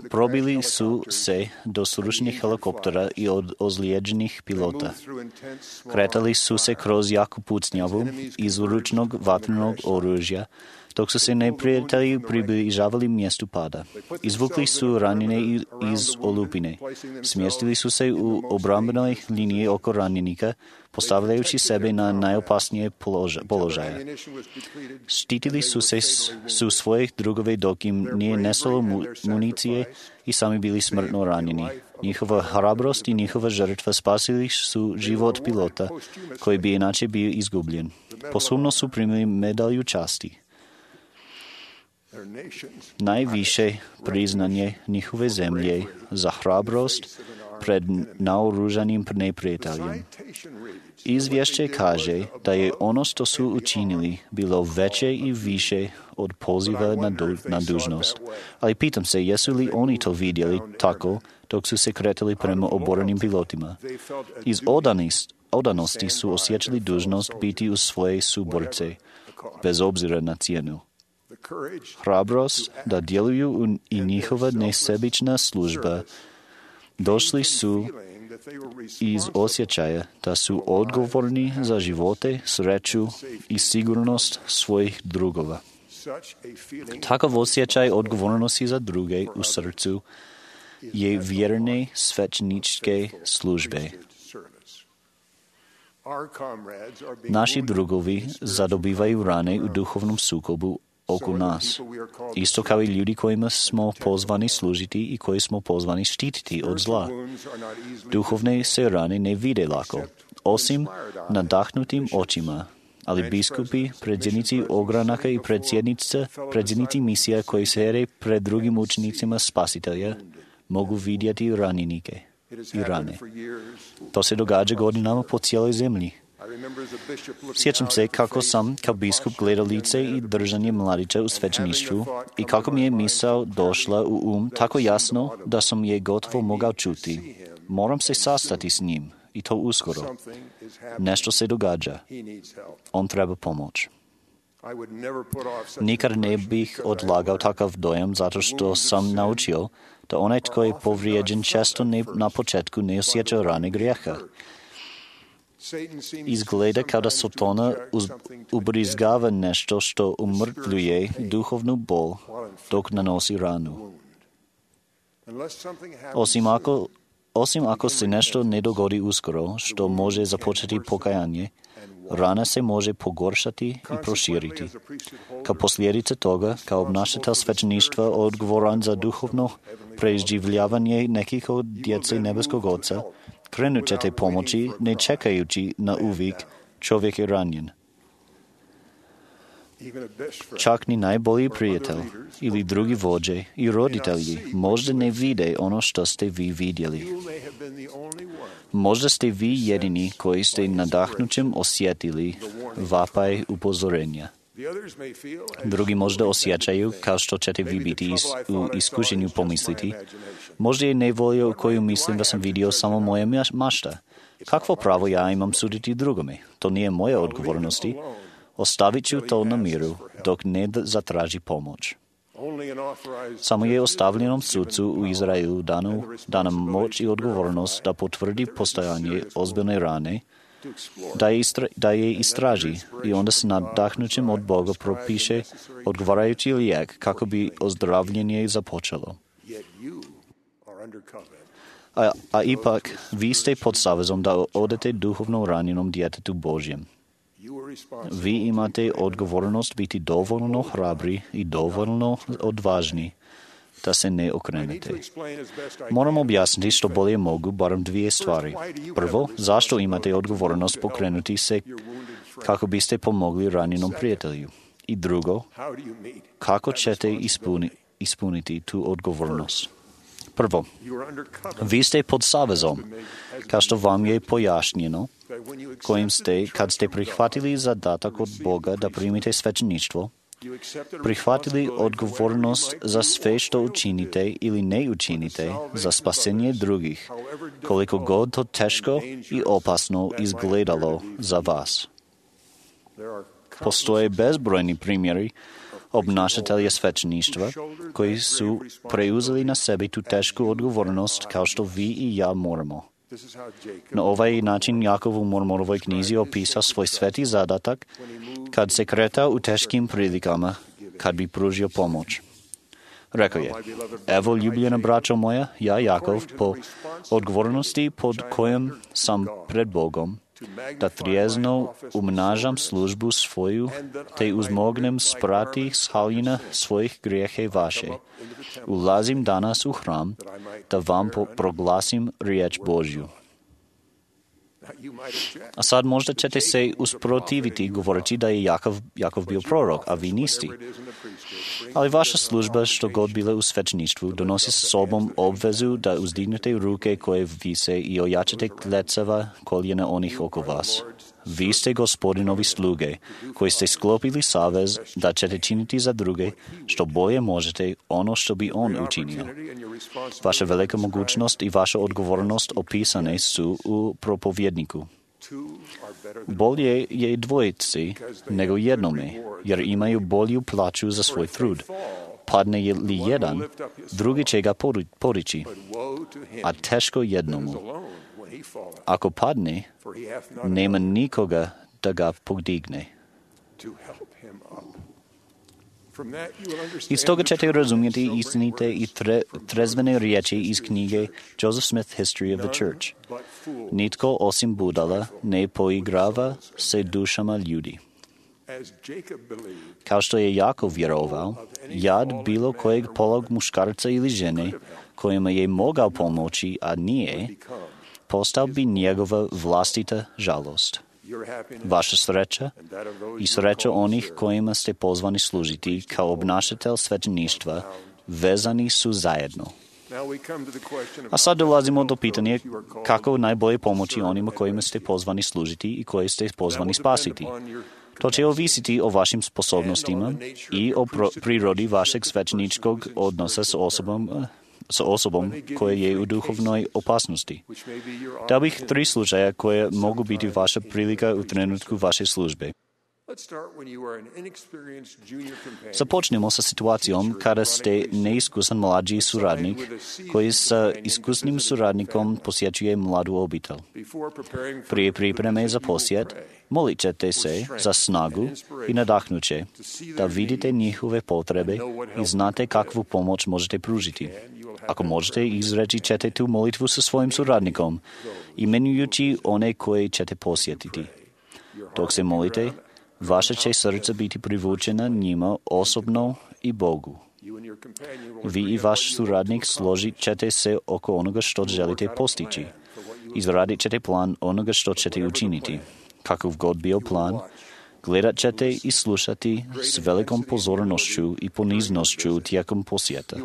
probili su se do srušenih helikoptera i od ozlijeđenih pilota. Kretali su se kroz jaku pucnjavu iz ručnog vatrenog oružja, dok su se neprijatelji približavali mjestu pada. Izvukli su ranjene iz olupine. Smjestili su se u obrambenoj liniji oko ranjenika, postavljajući sebe na najopasnije položaje. Štitili su se su svojih drugove dok im nije nestalo municije i sami bili smrtno ranjeni. Njihova hrabrost i njihova žrtva spasili su život pilota, koji bi inače bio izgubljen. Posebno su primili medalju časti. Najviše priznanje njihove zemlje za hrabrost pred naoružanim neprijateljem. Izvješće kaže da je ono što su učinili bilo veće i više od poziva na, du, na dužnost. Ali pitam se, jesu li oni to vidjeli tako dok su se kretali prema oborenim pilotima? Iz odanost, odanosti su osjećali dužnost biti uz svoje suborce, bez obzira na cijenu. Hrabrost da djeluju i njihova nesebična služba došli su iz osjećaja da su odgovorni za živote, sreću i sigurnost svojih drugova. Takav osjećaj odgovornosti za druge u srcu je vjerne svećeničke službe. Naši drugovi zadobivaju rane u duhovnom sukobu oko nas, isto kao i ljudi kojima smo pozvani služiti i koji smo pozvani štititi od zla. Duhovne se rane ne vide lako, osim nadahnutim očima, ali biskupi, predsjednici ogranaka i predsjednici misija koji se here pred drugim učenicima spasitelja mogu vidjeti ranjenike i rane. To se događa godinama po cijeloj zemlji. Sjećam se kako sam kao biskup gledao lice i držanje mladića u svećeništvu i kako mi je misao došla u um tako jasno da sam je gotovo mogao čuti. Moram se sastati s njim i to uskoro. Nešto se događa. On treba pomoć. Nikad ne bih odlagao takav dojam zato što sam naučio da onaj tko je povrijeđen često ne, na početku ne osjeća rane grijeha. Izgleda kao da Satana ubrizgava nešto što umrtvljuje duhovnu bol dok nanosi ranu. Osim ako, osim ako se nešto ne dogodi uskoro, što može započeti pokajanje, rana se može pogoršati i proširiti. Kao posljedica toga, kao obnašatelj svećeništva odgovoran za duhovno preživljavanje nekih od djece nebeskog Oca, krenut ćete pomoći ne čekajući na uvijek čovjek je ranjen. Čak ni najbolji prijatelj ili drugi vođe i roditelji možda ne vide ono što ste vi vidjeli. Možda ste vi jedini koji ste nadahnućem osjetili vapaj upozorenja. Drugi možda osjećaju, kao što ćete vi biti is, u iskušenju pomisliti, možda je nevolja u koju mislim da sam vidio samo moja mašta. Kakvo pravo ja imam suditi drugome? To nije moja odgovornosti. Ostavit ću to na miru, dok ne zatraži pomoć. Samo je ostavljenom sucu u Izraelu danu, dana moć i odgovornost da potvrdi postojanje ozbiljne rane, da je, istra, da je istraži i onda se nadahnućem od Boga propiše odgovarajući lijek kako bi ozdravljenje započelo. A, a ipak, vi ste pod savezom da odete duhovno ranjenom djetetu Božjem. Vi imate odgovornost biti dovoljno hrabri i dovoljno odvažni da se ne okrenete. Moram objasniti što bolje mogu barem dvije stvari. Prvo, zašto imate odgovornost pokrenuti se kako biste pomogli ranjenom prijatelju. I drugo, kako ćete ispuni, ispuniti tu odgovornost. Prvo, vi ste pod savezom, kao što vam je pojašnjeno, kojim ste, kad ste prihvatili zadatak od Boga da primite svećeništvo, prihvatili odgovornost za sve što učinite ili ne učinite za spasenje drugih, koliko god to teško i opasno izgledalo za vas. Postoje bezbrojni primjeri obnašatelja svećeništva koji su preuzeli na sebi tu tešku odgovornost kao što vi i ja moramo. Na ovaj način Jakov u Mormonovoj knjizi opisao svoj sveti zadatak kad se kretao u teškim prilikama, kad bi pružio pomoć. Rekao je, evo ljubljena braćo moja, ja Jakov, po odgovornosti pod kojom sam pred Bogom, da trijezno umnažam službu svoju, te uzmognem sprati s haljina svojih grijehe vaše. Ulazim danas u hram, da vam proglasim riječ Božju. A sad možda ćete se usprotiviti govoreći da je Jakov, Jakov bio prorok, a vi niste. Ali vaša služba, što god bila u svećeništvu, donosi sa sobom obvezu da uzdignete ruke koje vise i ojačate klecava koljena onih oko vas. Vi ste gospodinovi sluge, koji ste sklopili savez da ćete činiti za druge što bolje možete ono što bi on učinio. Vaša velika mogućnost i vaša odgovornost opisane su u propovjedniku. Bolje je dvojici nego jednome, jer imaju bolju plaću za svoj trud. Padne li jedan, drugi će ga podići, a teško jednomu. Ako padne, nema nikoga da ga podigne. Iz toga ćete razumjeti istinite i tre, trezvene riječi iz knjige Joseph Smith History of the Church. Nitko osim budala ne poigrava se dušama ljudi. Kao što je Jakov vjerovao, jad bilo kojeg polog muškarca ili žene kojima je mogao pomoći, a nije, postao bi njegova vlastita žalost. Vaša sreća i sreća onih kojima ste pozvani služiti kao obnašatelj svećeništva vezani su zajedno. A sad dolazimo do pitanja kako najbolje pomoći onima kojima ste pozvani služiti i koje ste pozvani spasiti. To će ovisiti o vašim sposobnostima i o prirodi vašeg svećeničkog odnosa s osobom s osobom koja je u duhovnoj opasnosti. Dao bih tri slučaja koje mogu biti vaša prilika u trenutku vaše službe. Započnemo sa situacijom kada ste neiskusan mlađi suradnik koji sa iskusnim suradnikom posjećuje mladu obitelj. Prije pripreme za posjet, molit ćete se za snagu i nadahnuće da vidite njihove potrebe i znate kakvu pomoć možete pružiti. Ako možete, izreći ćete tu molitvu sa svojim suradnikom, imenujući one koje ćete posjetiti. Dok se molite, vaša će srca biti privučena njima osobno i Bogu. Vi i vaš suradnik složit ćete se oko onoga što želite postići. Izradit ćete plan onoga što ćete učiniti. Kakav god bio plan, gledat ćete i slušati s velikom pozornošću i poniznošću tijekom posjeta.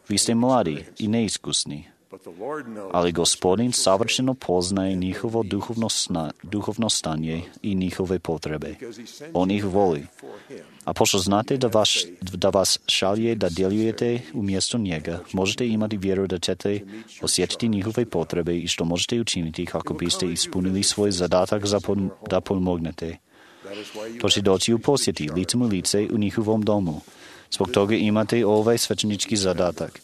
Vi ste mladi i neiskusni, ali Gospodin savršeno poznaje njihovo duhovno, sna, duhovno stanje i njihove potrebe. On ih voli. A pošto znate da, vaš, da vas šalje da djelujete umjesto njega, možete imati vjeru da ćete osjetiti njihove potrebe i što možete učiniti kako biste ispunili svoj zadatak za pom, da pomognete. To će doći u posjeti, licem u lice u njihovom domu. Zbog toga imate ovaj svećenički zadatak.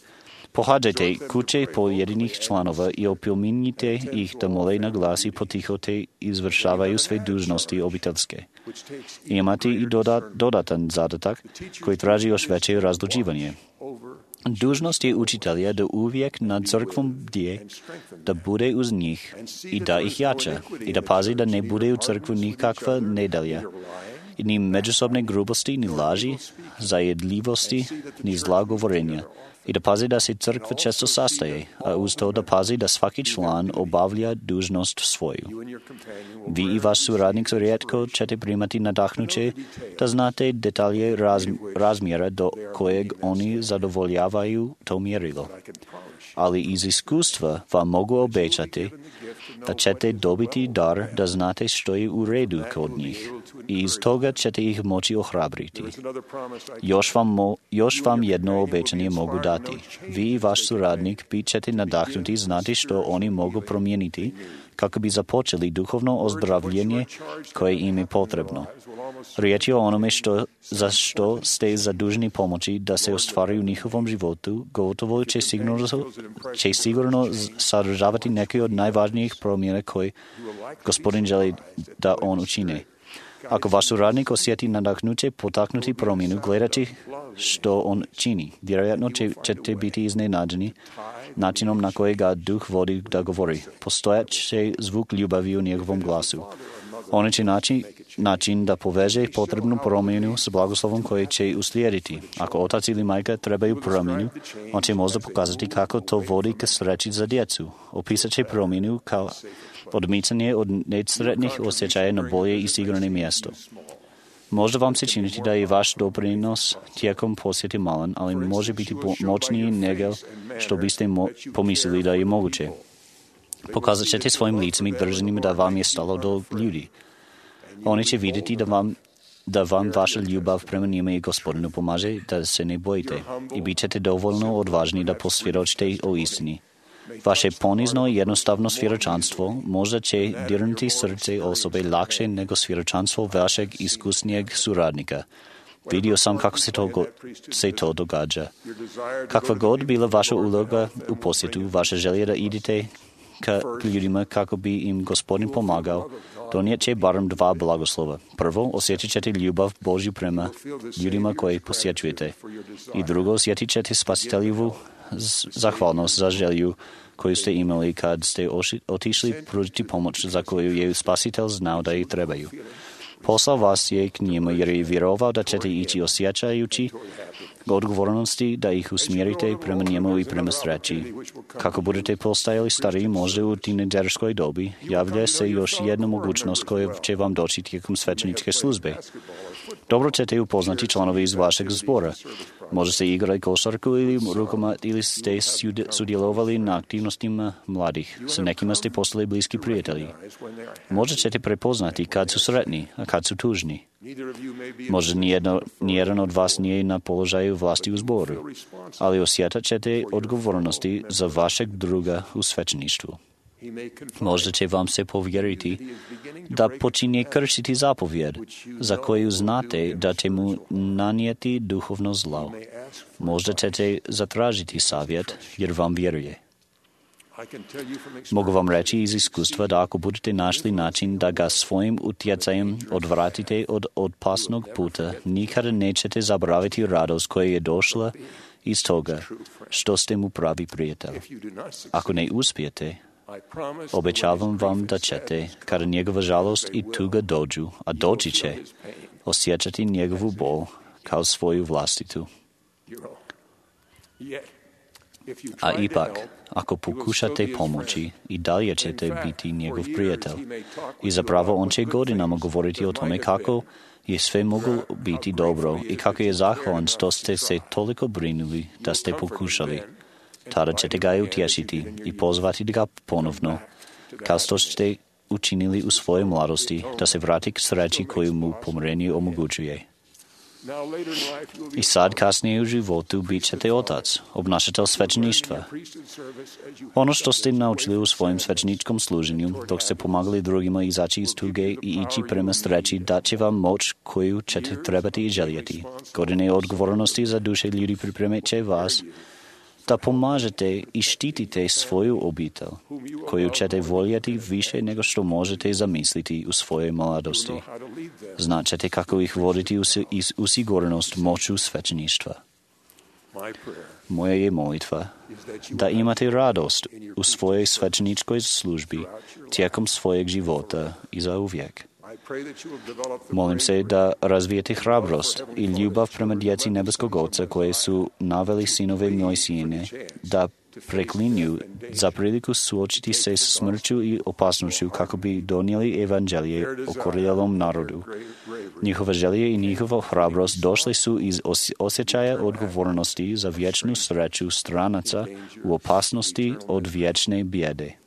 Pohađajte kuće pojedinih članova i opominjite ih da mole na glas i potiho te izvršavaju sve dužnosti obiteljske. Imate i dodat, dodatan zadatak koji traži još veće razlučivanje. Dužnost je učitelja da uvijek nad crkvom bdije, da bude uz njih i da ih jača i da pazi da ne bude u crkvu nikakva nedjelja, ni međusobne grubosti, ni laži, zajedljivosti, ni zla govorenja, i da pazi da se crkva često sastaje, a uz to da pazi da svaki član obavlja dužnost svoju. Vi i vaš suradnik rijetko ćete primati nadahnuće da znate detalje raz, razmjera do kojeg oni zadovoljavaju to mjerilo. Ali iz iskustva vam mogu obećati da ćete dobiti dar da znate što je u redu kod njih i iz toga ćete ih moći ohrabriti. Još vam, mo, još vam jedno obećanje mogu dati. Vi i vaš suradnik bit ćete nadahnuti znati što oni mogu promijeniti kako bi započeli duhovno ozdravljenje koje im je potrebno. Riječ je o onome što, za što ste zaduženi pomoći da se ostvari u njihovom životu, gotovo će sigurno, će sigurno sadržavati neke od najvažnijih promjena koje Gospodin želi da on učine. Ako vaš suradnik osjeti nadahnuće potaknuti promjenu gledajući što on čini, vjerojatno će, ćete biti iznenađeni načinom na koji ga duh vodi da govori. Postojat će zvuk ljubavi u njegovom glasu. On će naći način da poveže potrebnu promjenu s blagoslovom koji će uslijediti. Ako otac ili majka trebaju promjenu, on će možda pokazati kako to vodi k sreći za djecu. Opisat će promjenu kao odmicanje od nesretnih osjećaja na bolje i sigurno mjesto. Možda vam se činiti da je vaš doprinos tijekom posjeti malen, ali može biti moćniji nego što biste mo- pomislili da je moguće. Pokazat ćete svojim licem i držanjem da vam je stalo do ljudi. Oni će vidjeti da vam, da vam vaša ljubav prema njima i Gospodinu pomaže, da se ne bojite i bit ćete dovoljno odvažni da posvjedočite o istini. Vaše ponizno i jednostavno svjedočanstvo možda će dirnuti srce osobe lakše nego svjedočanstvo vašeg iskusnijeg suradnika. Vidio sam kako se to, go, se to događa. Kakva god bila vaša uloga u posjetu, vaša želja da idete ka ljudima kako bi im Gospodin pomagao, donijet će barem dva blagoslova. Prvo, osjetit ćete ljubav Božju prema ljudima koje posjećujete. I drugo, osjetit ćete spasiteljivu zahvalnost za želju koju ste imali kad ste otišli pružiti pomoć za koju je spasitelj znao da ih trebaju. Poslao vas je k njima jer je vjerovao da ćete ići osjećajući odgovornosti da ih usmjerite prema njemu i prema sreći. Kako budete postajali stariji možda u tinejdžerskoj dobi, javlja se još jedna mogućnost koja će vam doći tijekom svećeničke službe. Dobro ćete upoznati članove iz vašeg zbora. Možda ste igrali košarku ili rukomet ili ste sudjelovali na aktivnostima mladih. Sa nekima ste postali bliski prijatelji. Možda ćete prepoznati kad su sretni, a kad su tužni. Možda nijedno, nijedan od vas nije na položaju vlasti u zboru, ali osjetat ćete odgovornosti za vašeg druga u svećeništvu. Možda će vam se povjeriti da počinje kršiti zapovjed za koju znate da će mu nanijeti duhovno zlo. Možda ćete zatražiti savjet jer vam vjeruje. Mogu vam reći iz iskustva da ako budete našli način da ga svojim utjecajem odvratite od opasnog puta, nikada nećete zaboraviti radost koja je došla iz toga što ste mu pravi prijatelj. Ako ne uspijete, obećavam vam da ćete, kada njegova žalost i tuga dođu, a doći će, osjećati njegovu bol kao svoju vlastitu. A ipak, ako pokušate pomoći, i dalje ćete biti njegov prijatelj. I zapravo on će godinama govoriti o tome kako je sve moglo biti dobro i kako je zahvalan što ste se toliko brinuli da ste pokušali. Tada ćete ga utješiti i pozvati ga ponovno, kao što ste učinili u svojoj mladosti, da se vrati k sreći koju mu pomirenje omogućuje. I sad kasnije u životu bit ćete otac, obnašatelj svećeništva. Ono što ste naučili u svojem svećeničkom služenju, dok ste pomagali drugima izaći iz tuge i ići prema sreći, dat će vam moć koju ćete trebati i željeti. Godine odgovornosti za duše ljudi pripremit će vas da pomažete i štitite svoju obitelj, koju ćete voljeti više nego što možete zamisliti u svojoj mladosti. Znaćete kako ih voditi u sigurnost moću svećeništva. Moja je molitva da imate radost u svojoj svećeničkoj službi tijekom svojeg života i za uvijek. Molim se da razvijete hrabrost i ljubav prema djeci nebeskog Oca koje su naveli sinove Mojsijine da preklinju za priliku suočiti se s smrću i opasnošću kako bi donijeli evanđelje okorjelom narodu. Njihova želje i njihova hrabrost došli su iz osjećaja odgovornosti za vječnu sreću stranaca u opasnosti od vječne bijede.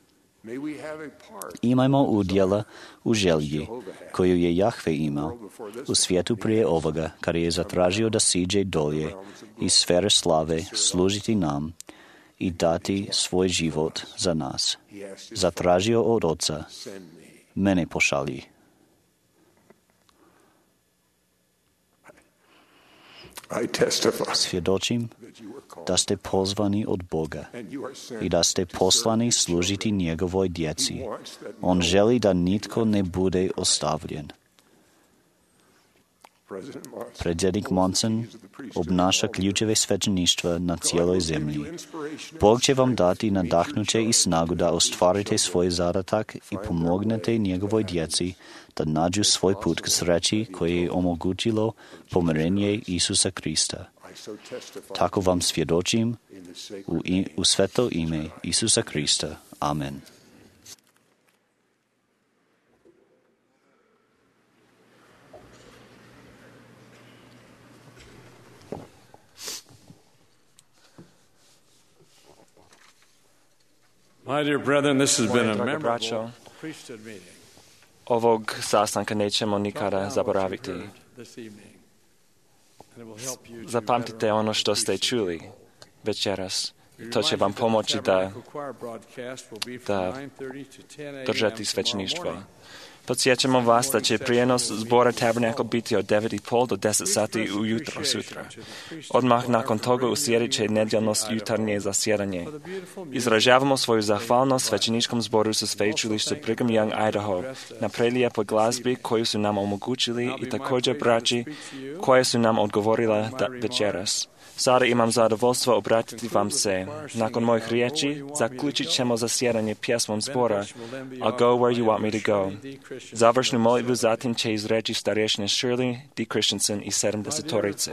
Imajmo udjela u želji koju je Jahve imao u svijetu prije ovoga, kada je zatražio da siđe dolje iz sfere slave služiti nam i dati svoj život za nas. Zatražio od Oca, mene pošalji. Svjedočim da ste pozvani od Boga i da ste poslani služiti njegovoj djeci. On želi da nitko ne bude ostavljen. Predsjednik Monson obnaša ključeve svećeništva na cijeloj zemlji. Bog će vam dati nadahnuće i snagu da ostvarite svoj zadatak i pomognete njegovoj djeci da nađu svoj put k sreći koje je omogućilo pomirenje Isusa Krista. Tako vam svjedočim u, i, u sveto ime Isusa Krista. Amen. My dear brethren, this has been a Dragi memorable braćo, priesthood meeting ovog sastanka nećemo nikada zaboraviti. this evening. And it will help you to Zapamtite ono što ste čuli večeras. To će vam pomoći da da držati svećeništvo. Podsjećamo vas da će prijenos zbora Tabernacle biti od devet i pol do deset sati ujutro sutra. Odmah nakon toga uslijedit će nedjeljno jutarnje zasjedanje. Izražavamo svoju zahvalnost svećeničkom zboru sa sveučilišta Brigham Young, Idaho, na prelijepoj glazbi koju su nam omogućili i također braći koje su nam odgovorila da večeras. Sada imam zadovoljstvo obratiti vam se. Nakon mojih riječi zaključit ćemo zasjedanje pjesmom zbora I'll go where you want me to go. Završnu molitvu zatim će izreći starješine Shirley D. Christensen i sedamdesetorice.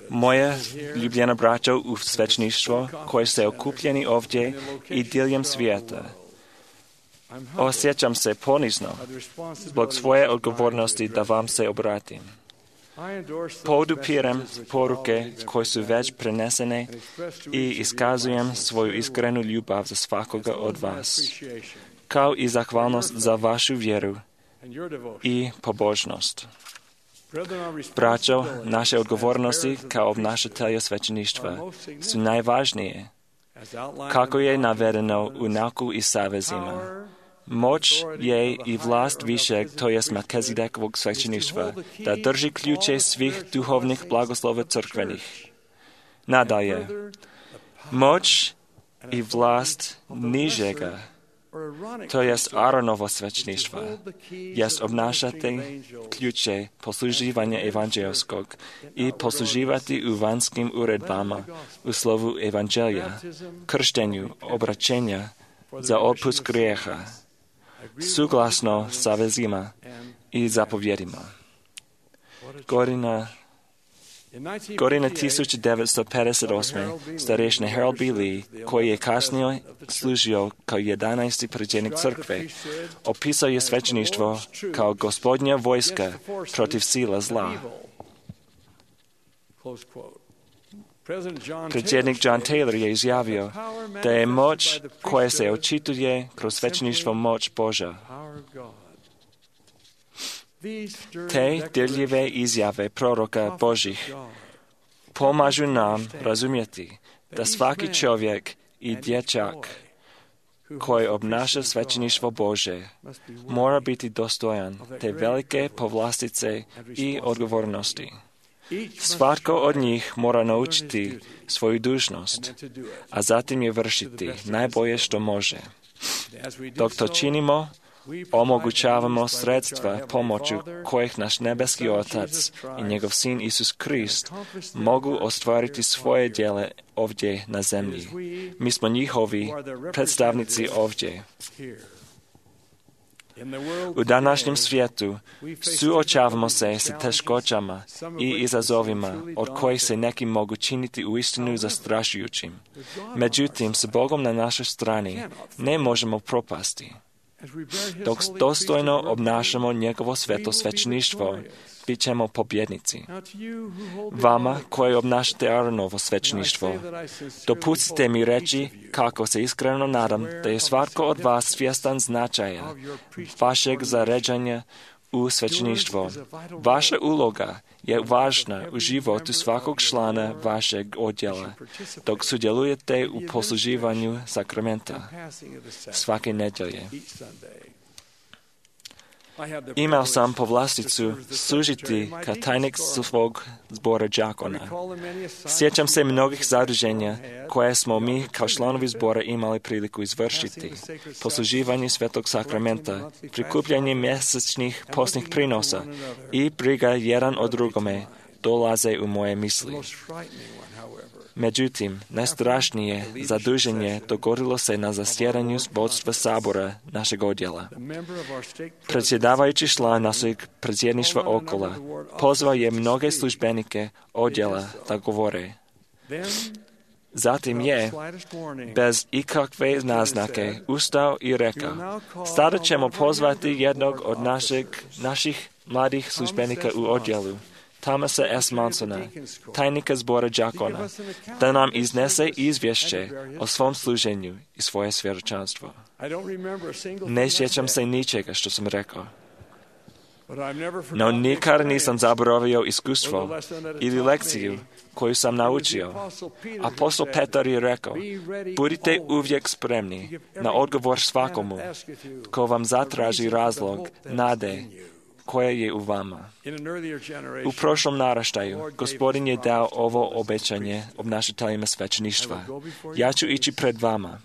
Moje ljubljena braćo u svećništvo koje ste okupljeni ovdje i diljem svijeta. Osjećam se ponizno zbog svoje odgovornosti da vam se obratim. Podupirem poruke koje su već prenesene i iskazujem svoju iskrenu ljubav za svakoga od vas, kao i zahvalnost za vašu vjeru i pobožnost. Braćo, naše odgovornosti kao obnašatelja svećeništva su najvažnije, kako je navedeno u nauku i savezima. Moć je i vlast višeg, to jest Melkizedekovog svećeništva, da drži ključe svih duhovnih blagoslova crkvenih. Nadalje, moć i vlast nižega, to jest Aaronovo svećeništva, jest obnašati ključe posluživanja evanđelskog i posluživati u vanjskim uredbama u slovu evanđelja, krštenju, obraćenja za otpust grijeha, suglasno savezima i zapovjedima. Godina, godina tisuće devetsto pedeset osme starješina Harold B. Lee, koji je kasnije služio kao jedanaesti predsjednik crkve, opisao je svećeništvo kao gospodnja vojska protiv sila zla. Predsjednik John Taylor je izjavio da je moć koja se očituje kroz svećeništvo moć Božja. Te dirljive izjave proroka Božih pomažu nam razumjeti da svaki čovjek i dječak koji obnaša svećeništvo Bože mora biti dostojan te velike povlastice i odgovornosti. Svatko od njih mora naučiti svoju dužnost, a zatim je vršiti najbolje što može. Dok to činimo, omogućavamo sredstva pomoću kojih naš nebeski Otac i njegov Sin Isus Krist mogu ostvariti svoje djele ovdje na zemlji. Mi smo njihovi predstavnici ovdje. U današnjem svijetu suočavamo se s teškoćama i izazovima od kojih se neki mogu činiti uistinu zastrašujućim. Međutim, s Bogom na našoj strani ne možemo propasti. Dok dostojno obnašamo njegovo sveto svećeništvo, bit ćemo pobjednici. Vama koji obnašate Aaronovo svećeništvo, dopustite mi reći kako se iskreno nadam da je svatko od vas svjestan značaja vašeg zaređanja u svećeništvo. Vaša uloga je važna u životu svakog člana vašeg odjela, dok sudjelujete u posluživanju sakramenta svake nedjelje. Imao sam povlasticu služiti kao tajnik svog zbora đakona. Sjećam se mnogih zaduženja koje smo mi kao članovi zbora imali priliku izvršiti. Posluživanje svetog sakramenta, prikupljanje mjesečnih postnih prinosa i briga jedan o drugome dolaze u moje misli. Međutim, najstrašnije zaduženje dogodilo se na zasjedanju vodstva sabora našeg odjela. Predsjedavajući član našeg predsjedništva Okola pozvao je mnoge službenike odjela da govore. Zatim je, bez ikakve naznake, ustao i rekao: sada ćemo pozvati jednog od našeg, naših mladih službenika u odjelu, Thomasa S. Mansona, tajnika zbora đakona, da nam iznese izvješće o svom služenju i svoje svjedočanstvo. Ne sjećam se ničega što sam rekao. No nikad nisam zaboravio iskustvo ili lekciju koju sam naučio. Apostol Petar je rekao: budite uvijek spremni na odgovor svakomu ko vam zatraži razlog nade koja je u vama. U prošlom naraštaju Gospodin je dao ovo obećanje obnašateljima svećeništva. Ja ću ići pred vama,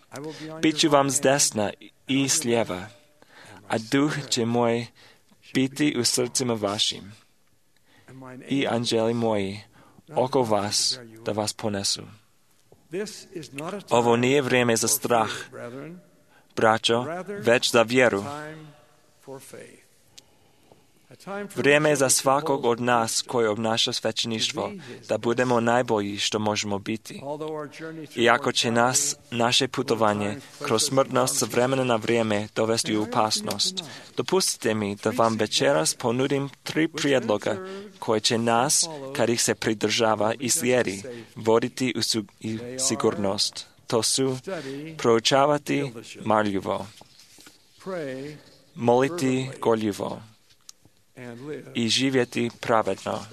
bit ću vam s desna i s lijeva, a duh će moj biti u srcima vašim i anđeli moji oko vas da vas ponesu. Ovo nije vrijeme za strah, braćo, već za vjeru. Vrijeme je za svakog od nas koji obnaša svećeništvo da budemo najbolji što možemo biti. Iako će nas naše putovanje kroz smrtnost s vremena na vrijeme dovesti u opasnost, dopustite mi da vam večeras ponudim tri prijedloga koje će nas, kad ih se pridržava i slijedi, voditi u su- i sigurnost. To su proučavati marljivo, moliti gorljivo i živjeti pravedno.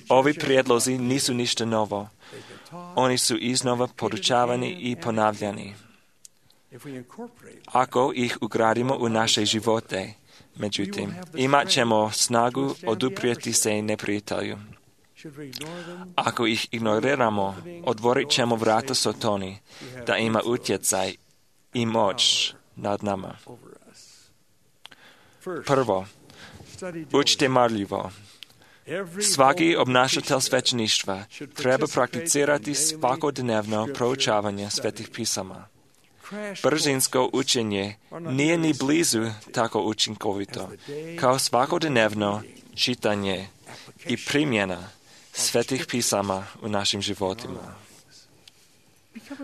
Ovi prijedlozi nisu ništa novo. Oni su iznova poručavani i ponavljani. Ako ih ugradimo u naše živote, međutim, imat ćemo snagu oduprijeti se neprijatelju. Ako ih ignoriramo, otvorit ćemo vrata Sotoni da ima utjecaj i moć nad nama. Prvo, učite marljivo. Svaki obnašatelj svećeništva treba prakticirati svakodnevno proučavanje svetih pisama. Brzinsko učenje nije ni blizu tako učinkovito kao svakodnevno čitanje i primjena svetih pisama u našim životima.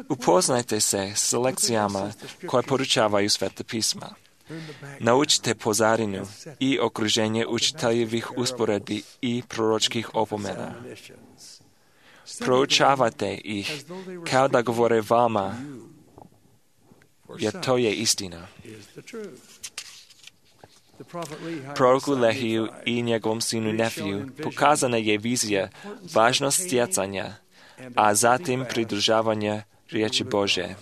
Upoznajte se s lekcijama koje poručavaju sveta pisma. Naučite pozadinu i okruženje učiteljevih usporedbi i proročkih opomena. Proučavate ih kao da govore vama, jer to je istina. Proroku Lehiju i njegovom sinu Nefiju pokazana je vizija važnost stjecanja, a zatim pridržavanja riječi Božje.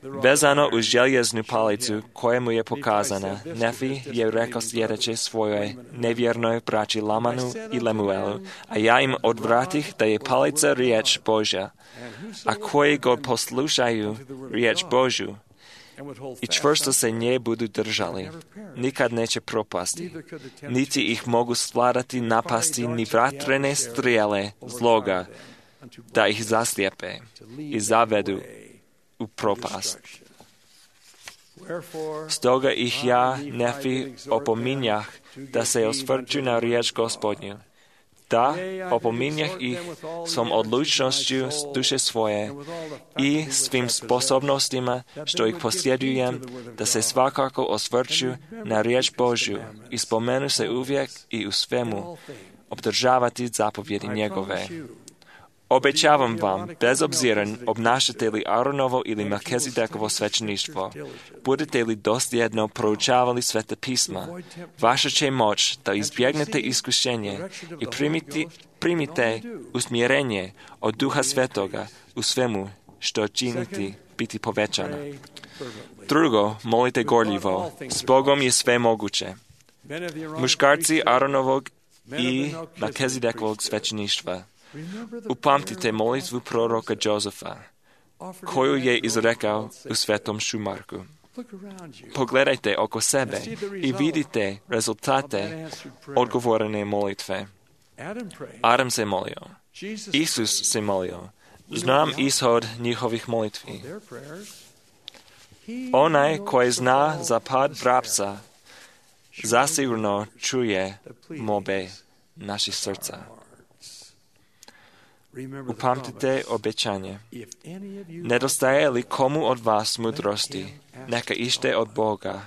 Vezano uz željeznu palicu koja mu je pokazana, Nefi je rekao sljedeće svojoj nevjernoj braći Lamanu i Lemuelu: a ja im odvratih da je palica riječ Božja, a koji god poslušaju riječ Božju i čvrsto se nje budu držali, nikad neće propasti, niti ih mogu svladati napasti ni vatrene strijele zloga, da ih zaslijepe i zavedu u propast. Stoga ih ja, Nefi, opominjah da se osvrću na riječ Gospodnju. Da, opominjah ih svom odlučnošću duše svoje i svim sposobnostima što ih posjedujem, da se svakako osvrću na riječ Božju i spomenu se uvijek i u svemu obdržavati zapovjedi njegove. Obećavam vam, bez obzira obnašate li Aronovo ili Melkizedekovo svećeništvo, budete li dosljedno proučavali sveta pisma, vaša će moć da izbjegnete iskušenje i primiti, primite usmjerenje od Duha Svetoga u svemu što činiti biti povećana. Drugo, molite gorljivo, s Bogom je sve moguće. Muškarci Aronovog i Melkizedekovog svećeništva, upamtite molitvu proroka Jozefa, koju je izrekao u Svetom Šumarku. Pogledajte oko sebe i vidite rezultate odgovorene molitve. Adam se molio. Isus se molio. Znam ishod njihovih molitvi. Onaj koji zna za pad vrapca, zasigurno čuje molbe naših srca. Upamtite obećanje. Nedostaje li komu od vas mudrosti, neka ište od Boga,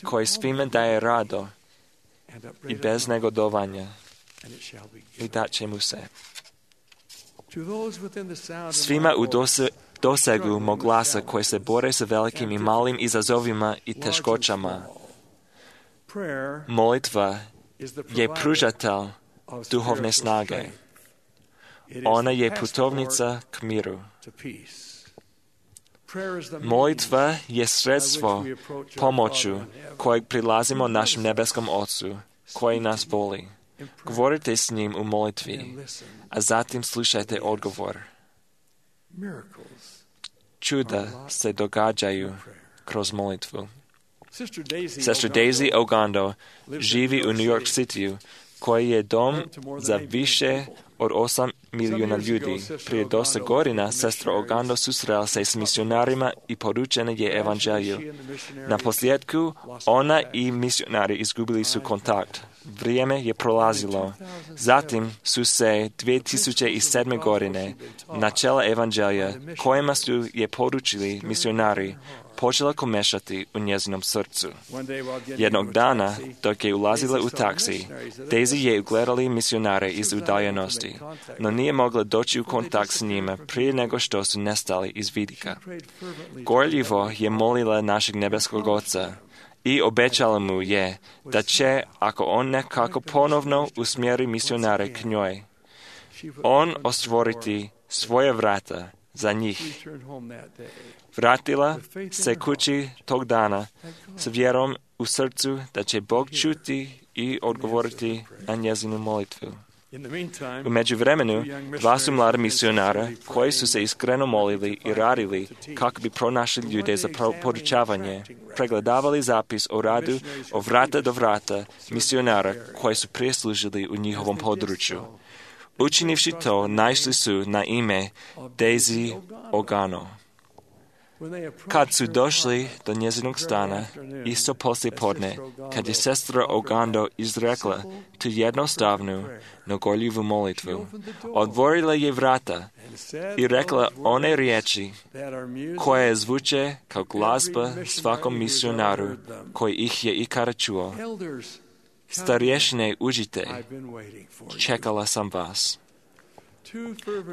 koji svime daje rado i bez negodovanja, i dat će mu se. Svima u dose, dosegu mog glasa koji se bore sa velikim i malim izazovima i teškoćama, molitva je pružatelj duhovne snage. Ona je putovnica k miru. Molitva je sredstvo pomoću kojeg prilazimo našem nebeskom Ocu, koji nas voli. Govorite s njim u molitvi, a zatim slušajte odgovor. Čuda se događaju kroz molitvu. Sestra Daisy Ogando živi u New York Cityu, koji je dom za više od osam milijuna ljudi. Prije dosta godina sestra Ogando susrela se s misionarima i poručena je evanđelju. Na posljedku ona i misionari izgubili su kontakt. Vrijeme je prolazilo. Zatim su se dvije tisuće sedme godine načela evanđelja kojima su je poručili misionari počela komešati u njezinom srcu. Jednog dana, dok je ulazila u taksi, Daisy je ugledali misionare iz udaljenosti, no nije mogla doći u kontakt s njima prije nego što su nestali iz vidika. Gorljivo je molila našeg nebeskog Oca i obećala mu je da će, ako on nekako ponovno usmjeri misionare k njoj, on ostvoriti svoje vrata za njih. Vratila se kući tog dana s vjerom u srcu da će Bog čuti i odgovoriti na njezinu molitvu. U međuvremenu, dva su mlada misionara koji su se iskreno molili i radili kako bi pronašli ljude za podučavanje, pregledavali zapis o radu od vrata do vrata misionara koji su prije služili u njihovom području. Učinivši to, naišli su na ime Daisy Ogano. Kad su došli do njezinog stana, isto poslije podne, kad je sestra Ogando izrekla tu jednostavnu, no gorljivu molitvu, otvorila je vrata i rekla one riječi koje zvuče kao glazba svakom misionaru koji ih je ikada čuo. Starješine, uđite, čekala sam vas.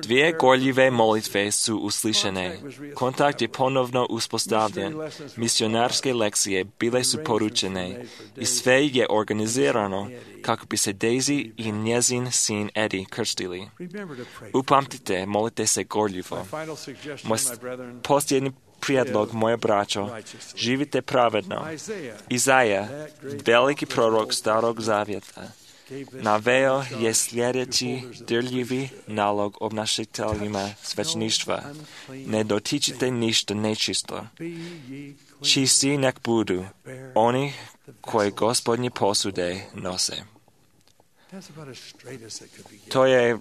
Dvije gorljive molitve su uslišene. Kontakt je ponovno uspostavljen. Misionarske lekcije bile su poručene i sve je organizirano kako bi se Daisy i njezin sin Eddie krstili. Upamtite, molite se gorljivo. Moj posljednji prijedlog, moje braćo, živite pravedno. Izaja, veliki prorok Starog Zavjeta, naveo je sljedeći dirljivi nalog obnašateljima svećeništva. Ne dotičite ništa nečisto. Čisti nek budu oni koji Gospodnje posude nose. To je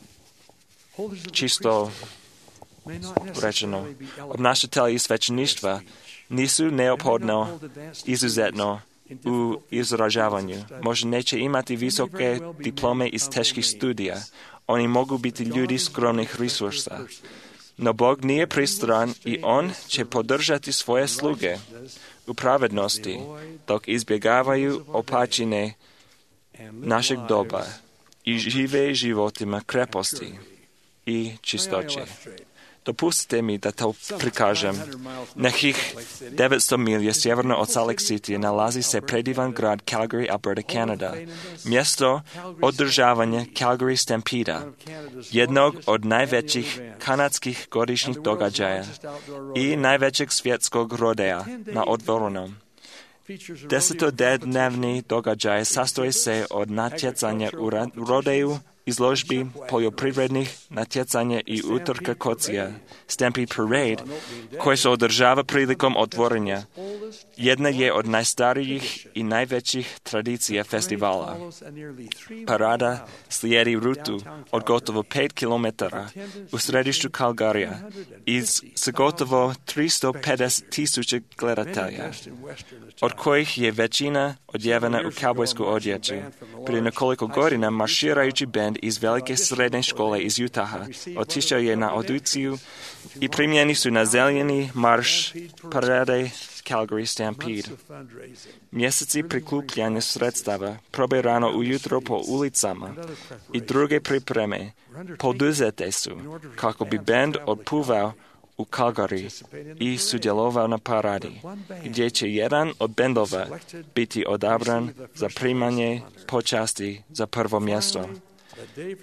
čisto rečeno. Obnašatelji svećeništva nisu neophodno izuzetno u izražavanju. Možda neće imati visoke diplome iz teških studija. Oni mogu biti ljudi skromnih resursa. No Bog nije pristran i On će podržati svoje sluge u pravednosti, dok izbjegavaju opačine našeg doba i žive životima kreposti i čistoće. Dopustite mi da to prikažem. Nekih devetsto milja sjeverno od Salt Lake City nalazi se predivan grad Calgary, Alberta, Kanada. Mjesto održavanja Calgary Stampeda, jednog od najvećih kanadskih godišnjih događaja i najvećeg svjetskog rodea na otvorenom. Desetodnevni događaj sastoji se od natjecanja u rodeju, izložbi poljoprivrednih natjecanja i utrka kocija, Stampede Parade, koje se održava prilikom otvorenja. Jedna je od najstarijih i najvećih tradicija festivala. Parada slijedi rutu od gotovo pet kilometara u središtu Calgaryja i s gotovo tristo pedeset tisuća gledatelja, od kojih je većina odjevena u kaubojsku odjeću. Prije nekoliko godina marširajući bend iz velike srednje škole iz Utaha otišao je na audiciju i primljeni su na zeleni marš parade Calgary Stampede. Mjeseci prikupljanja sredstava, probe rano ujutro po ulicama i druge pripreme poduzete su kako bi bend otpuvao u Calgary i sudjelovao na paradi, gdje će jedan od bendova biti odabran za primanje počasti za prvo mjesto.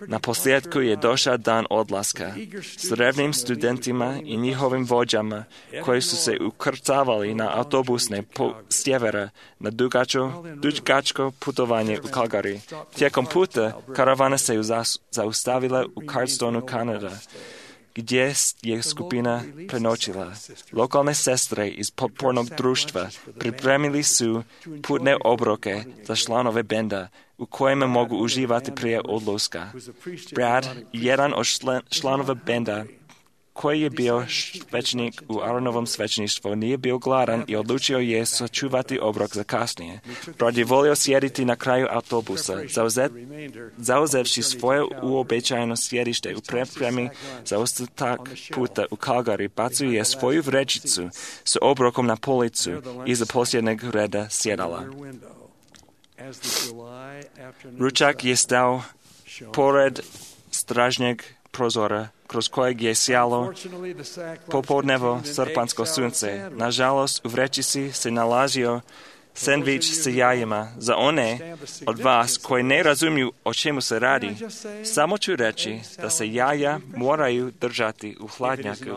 Na posljedku je došao dan odlaska s revnim studentima i njihovim vođama koji su se ukrcavali na autobusne po sjevera na dugačko, dugačko putovanje u Calgary. Tijekom puta karavana se zaustavila u Cardstoneu, Kanada, gdje je skupina prenoćila. Lokalne sestre iz potpornog društva pripremili su putne obroke za članove benda u kojima mogu uživati prije odlaska. Brad, jedan od članova benda, koji je bio svećenik u Aaronovom svećeništvu, nije bio gladan i odlučio je sačuvati obrok za kasnije. Brad je volio sjediti na kraju autobusa, zauzet, zauzevši svoje uobičajeno sjedište u pripremi za ostatak puta u Calgary, bacio je svoju vrećicu s obrokom na policu iza posljednjeg reda sjedala. Ručak je stao pored stražnjeg prozora, kroz kojeg je sjalo popodnevo srpansko sunce. Nažalost, u vrećici se nalazio sendvič s jajima. Za one od vas koji ne razumiju o čemu se radi, samo ću reći da se jaja moraju držati u hladnjaku.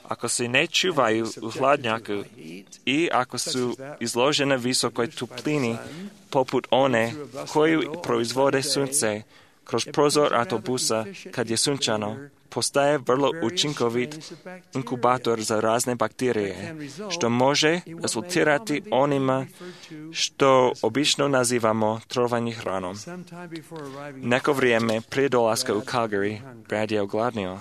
Ako se ne čuvaju u hladnjaku i ako su izložene visokoj toplini, poput one koju proizvode sunce, kroz prozor autobusa, kad je sunčano, postaje vrlo učinkovit inkubator za razne bakterije, što može rezultirati onima što obično nazivamo trovanje hranom. Neko vrijeme prije dolaska u Calgary, Brad je ogladnio.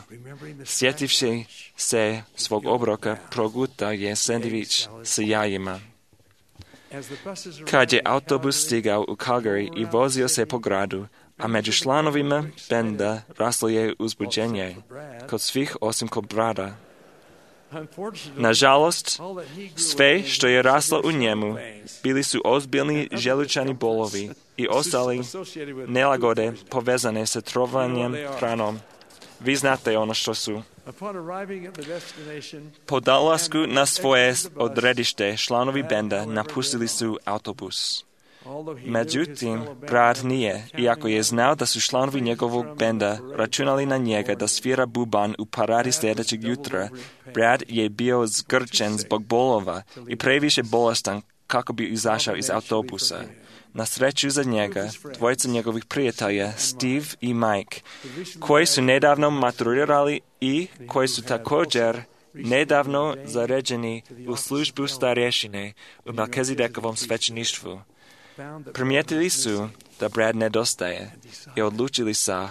Sjetivši se svog obroka, proguta je sendvič s jajima. Kad je autobus stigao u Calgary i vozio se po gradu, a među članovima benda raslo je uzbuđenje, kod svih osim kod Brada. Nažalost, sve što je raslo u njemu bili su ozbiljni želučani bolovi i ostali nelagode povezane sa trovanjem hranom. Vi znate ono što su. Po dolasku na svoje odredište članovi benda napustili su autobus. Međutim, Brad nije, iako je znao da su članovi njegovog benda računali na njega da svira buban u paradi sljedećeg jutra. Brad je bio zgrčen zbog bolova i previše bolestan kako bi izašao iz autobusa. Na sreću za njega, dvojica njegovih prijatelja, Steve i Mike, koji su nedavno maturirali i koji su također nedavno zaređeni u službu starješine u Melkizedekovom svećeništvu, primijetili su da Brad nedostaje i odlučili, sa,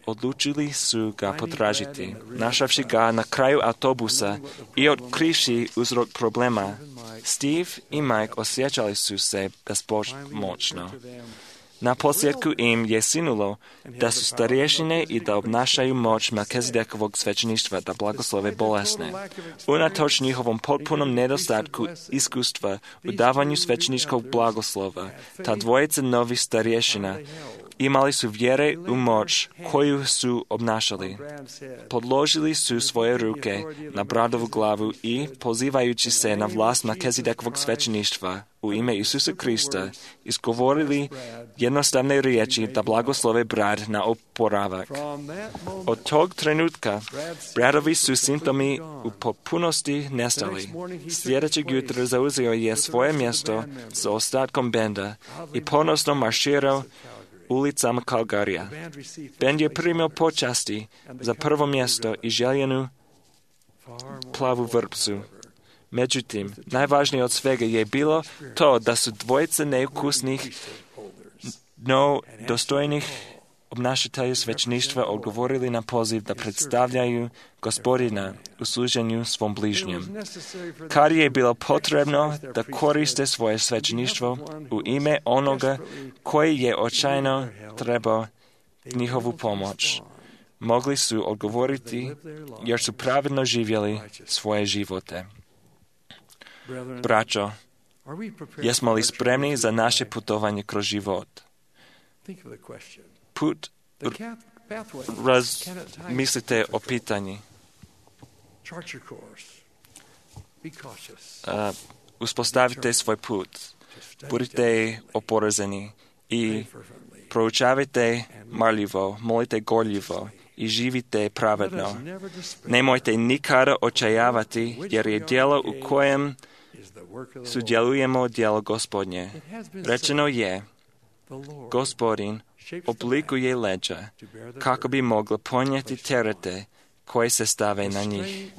odlučili su ga potražiti. Našavši ga na kraju autobusa i otkrivši uzrok problema, Steve i Mike osjećali su se bespomoćno. Na posljedku im je sinulo da su starješine i da obnašaju moć Melkizedekovog svećeništva da blagoslove bolesne. Unatoč njihovom potpunom nedostatku iskustva u davanju svećeničkog blagoslova, ta dvojica novih starješina imali su vjere u moć koju su obnašali. Podložili su svoje ruke na bradovu glavu i, pozivajući se na vlast Melkizedekovog svećeništva u ime Isusa Krista, izgovorili jednostavne riječi da blagoslove brad na oporavak. Od tog trenutka bradovi su simptomi u potpunosti nestali. Sljedećeg jutra zauzeo je svoje mjesto sa ostatkom benda i ponosno marširao ulicama Calgarija. Bend je primio počasti za prvo mjesto i željenu plavu vrpcu. Međutim, najvažnije od svega je bilo to da su dvojice neukusnih, no dostojnih obnašatelja svećeništva odgovorili na poziv da predstavljaju Gospodina u služenju svom bližnjem. Kad je bilo potrebno da koriste svoje svećeništvo u ime onoga koji je očajno trebao njihovu pomoć, mogli su odgovoriti jer su pravedno živjeli svoje živote. Braćo, jesmo li spremni za naše putovanje kroz život? Put, razmislite o pitanji. Uh, uspostavite svoj put. Budite oporezani i proučavajte marljivo, molite gorljivo i živite pravedno. Nemojte nikada očajavati, jer je djelo u kojem sudjelujemo djelo Gospodnje. Rečeno je, Gospodin oblikuje leđa kako bi mogla ponijeti terete koje se stave na njih.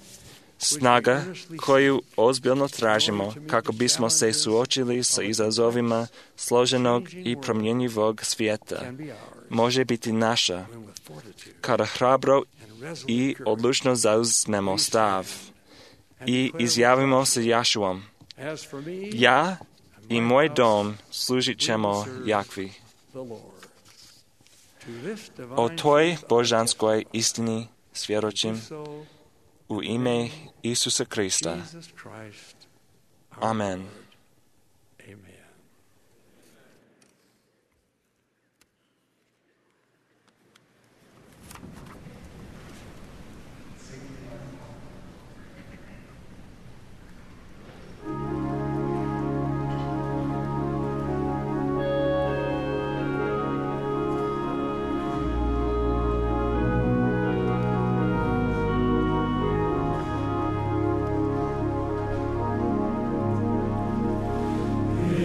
Snaga koju ozbiljno tražimo kako bismo se suočili sa izazovima složenog i promjenjivog svijeta može biti naša kada hrabro i odlučno zauzmemo stav i izjavimo se Jašuom: ja i moj dom služit ćemo Jakvi. O toj božanskoj istini svjedočim u ime Isusa Krista. Amen.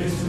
Is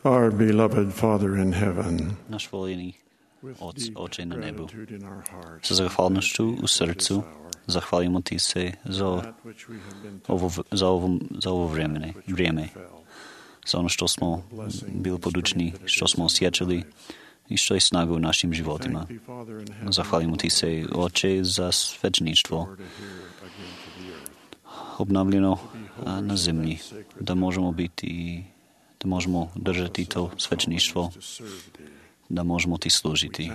Our beloved Father in heaven, Náš volený Oc, Oče na nebu, gratitude in our hearts sa zahvalnosťou u srdcu zachvalíme Ti se za ovo, za ovo, za ovo vremene, vrijeme, za ono što smo bili podučni, što smo osjećali i što je snaga u našim životima. Zahvalimo Ti se, Oče, za svećeništvo obnavljeno na zemlji, da možemo biti, da možemo držati to svećeništvo, da možemo Ti služiti.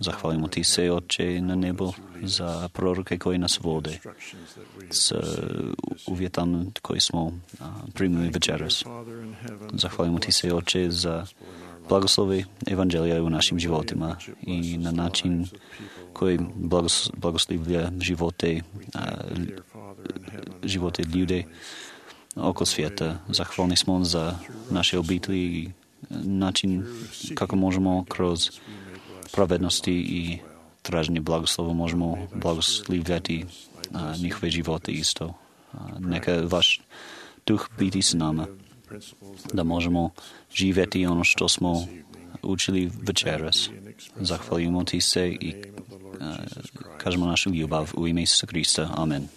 Zahvalimo Ti se, Oče, na nebo za proroke koji nas vode s uvjetom koji smo primili večeras. Zahvalimo Ti se, Oče, za blagoslove evanđelija u našim životima i na način koji blagos, blagoslivlja živote, živote ljude oko svijeta. Zahvalni smo za naše obitelji i način kako možemo kroz pravednosti i traženje blagoslova možemo blagoslivljati a, njihove živote isto. A, neka vaš duh biti s nama, da možemo živjeti ono što smo učili večeras. Zahvaljujemo Ti se i a, kažemo našu ljubav u ime Isusa Krista. Amen.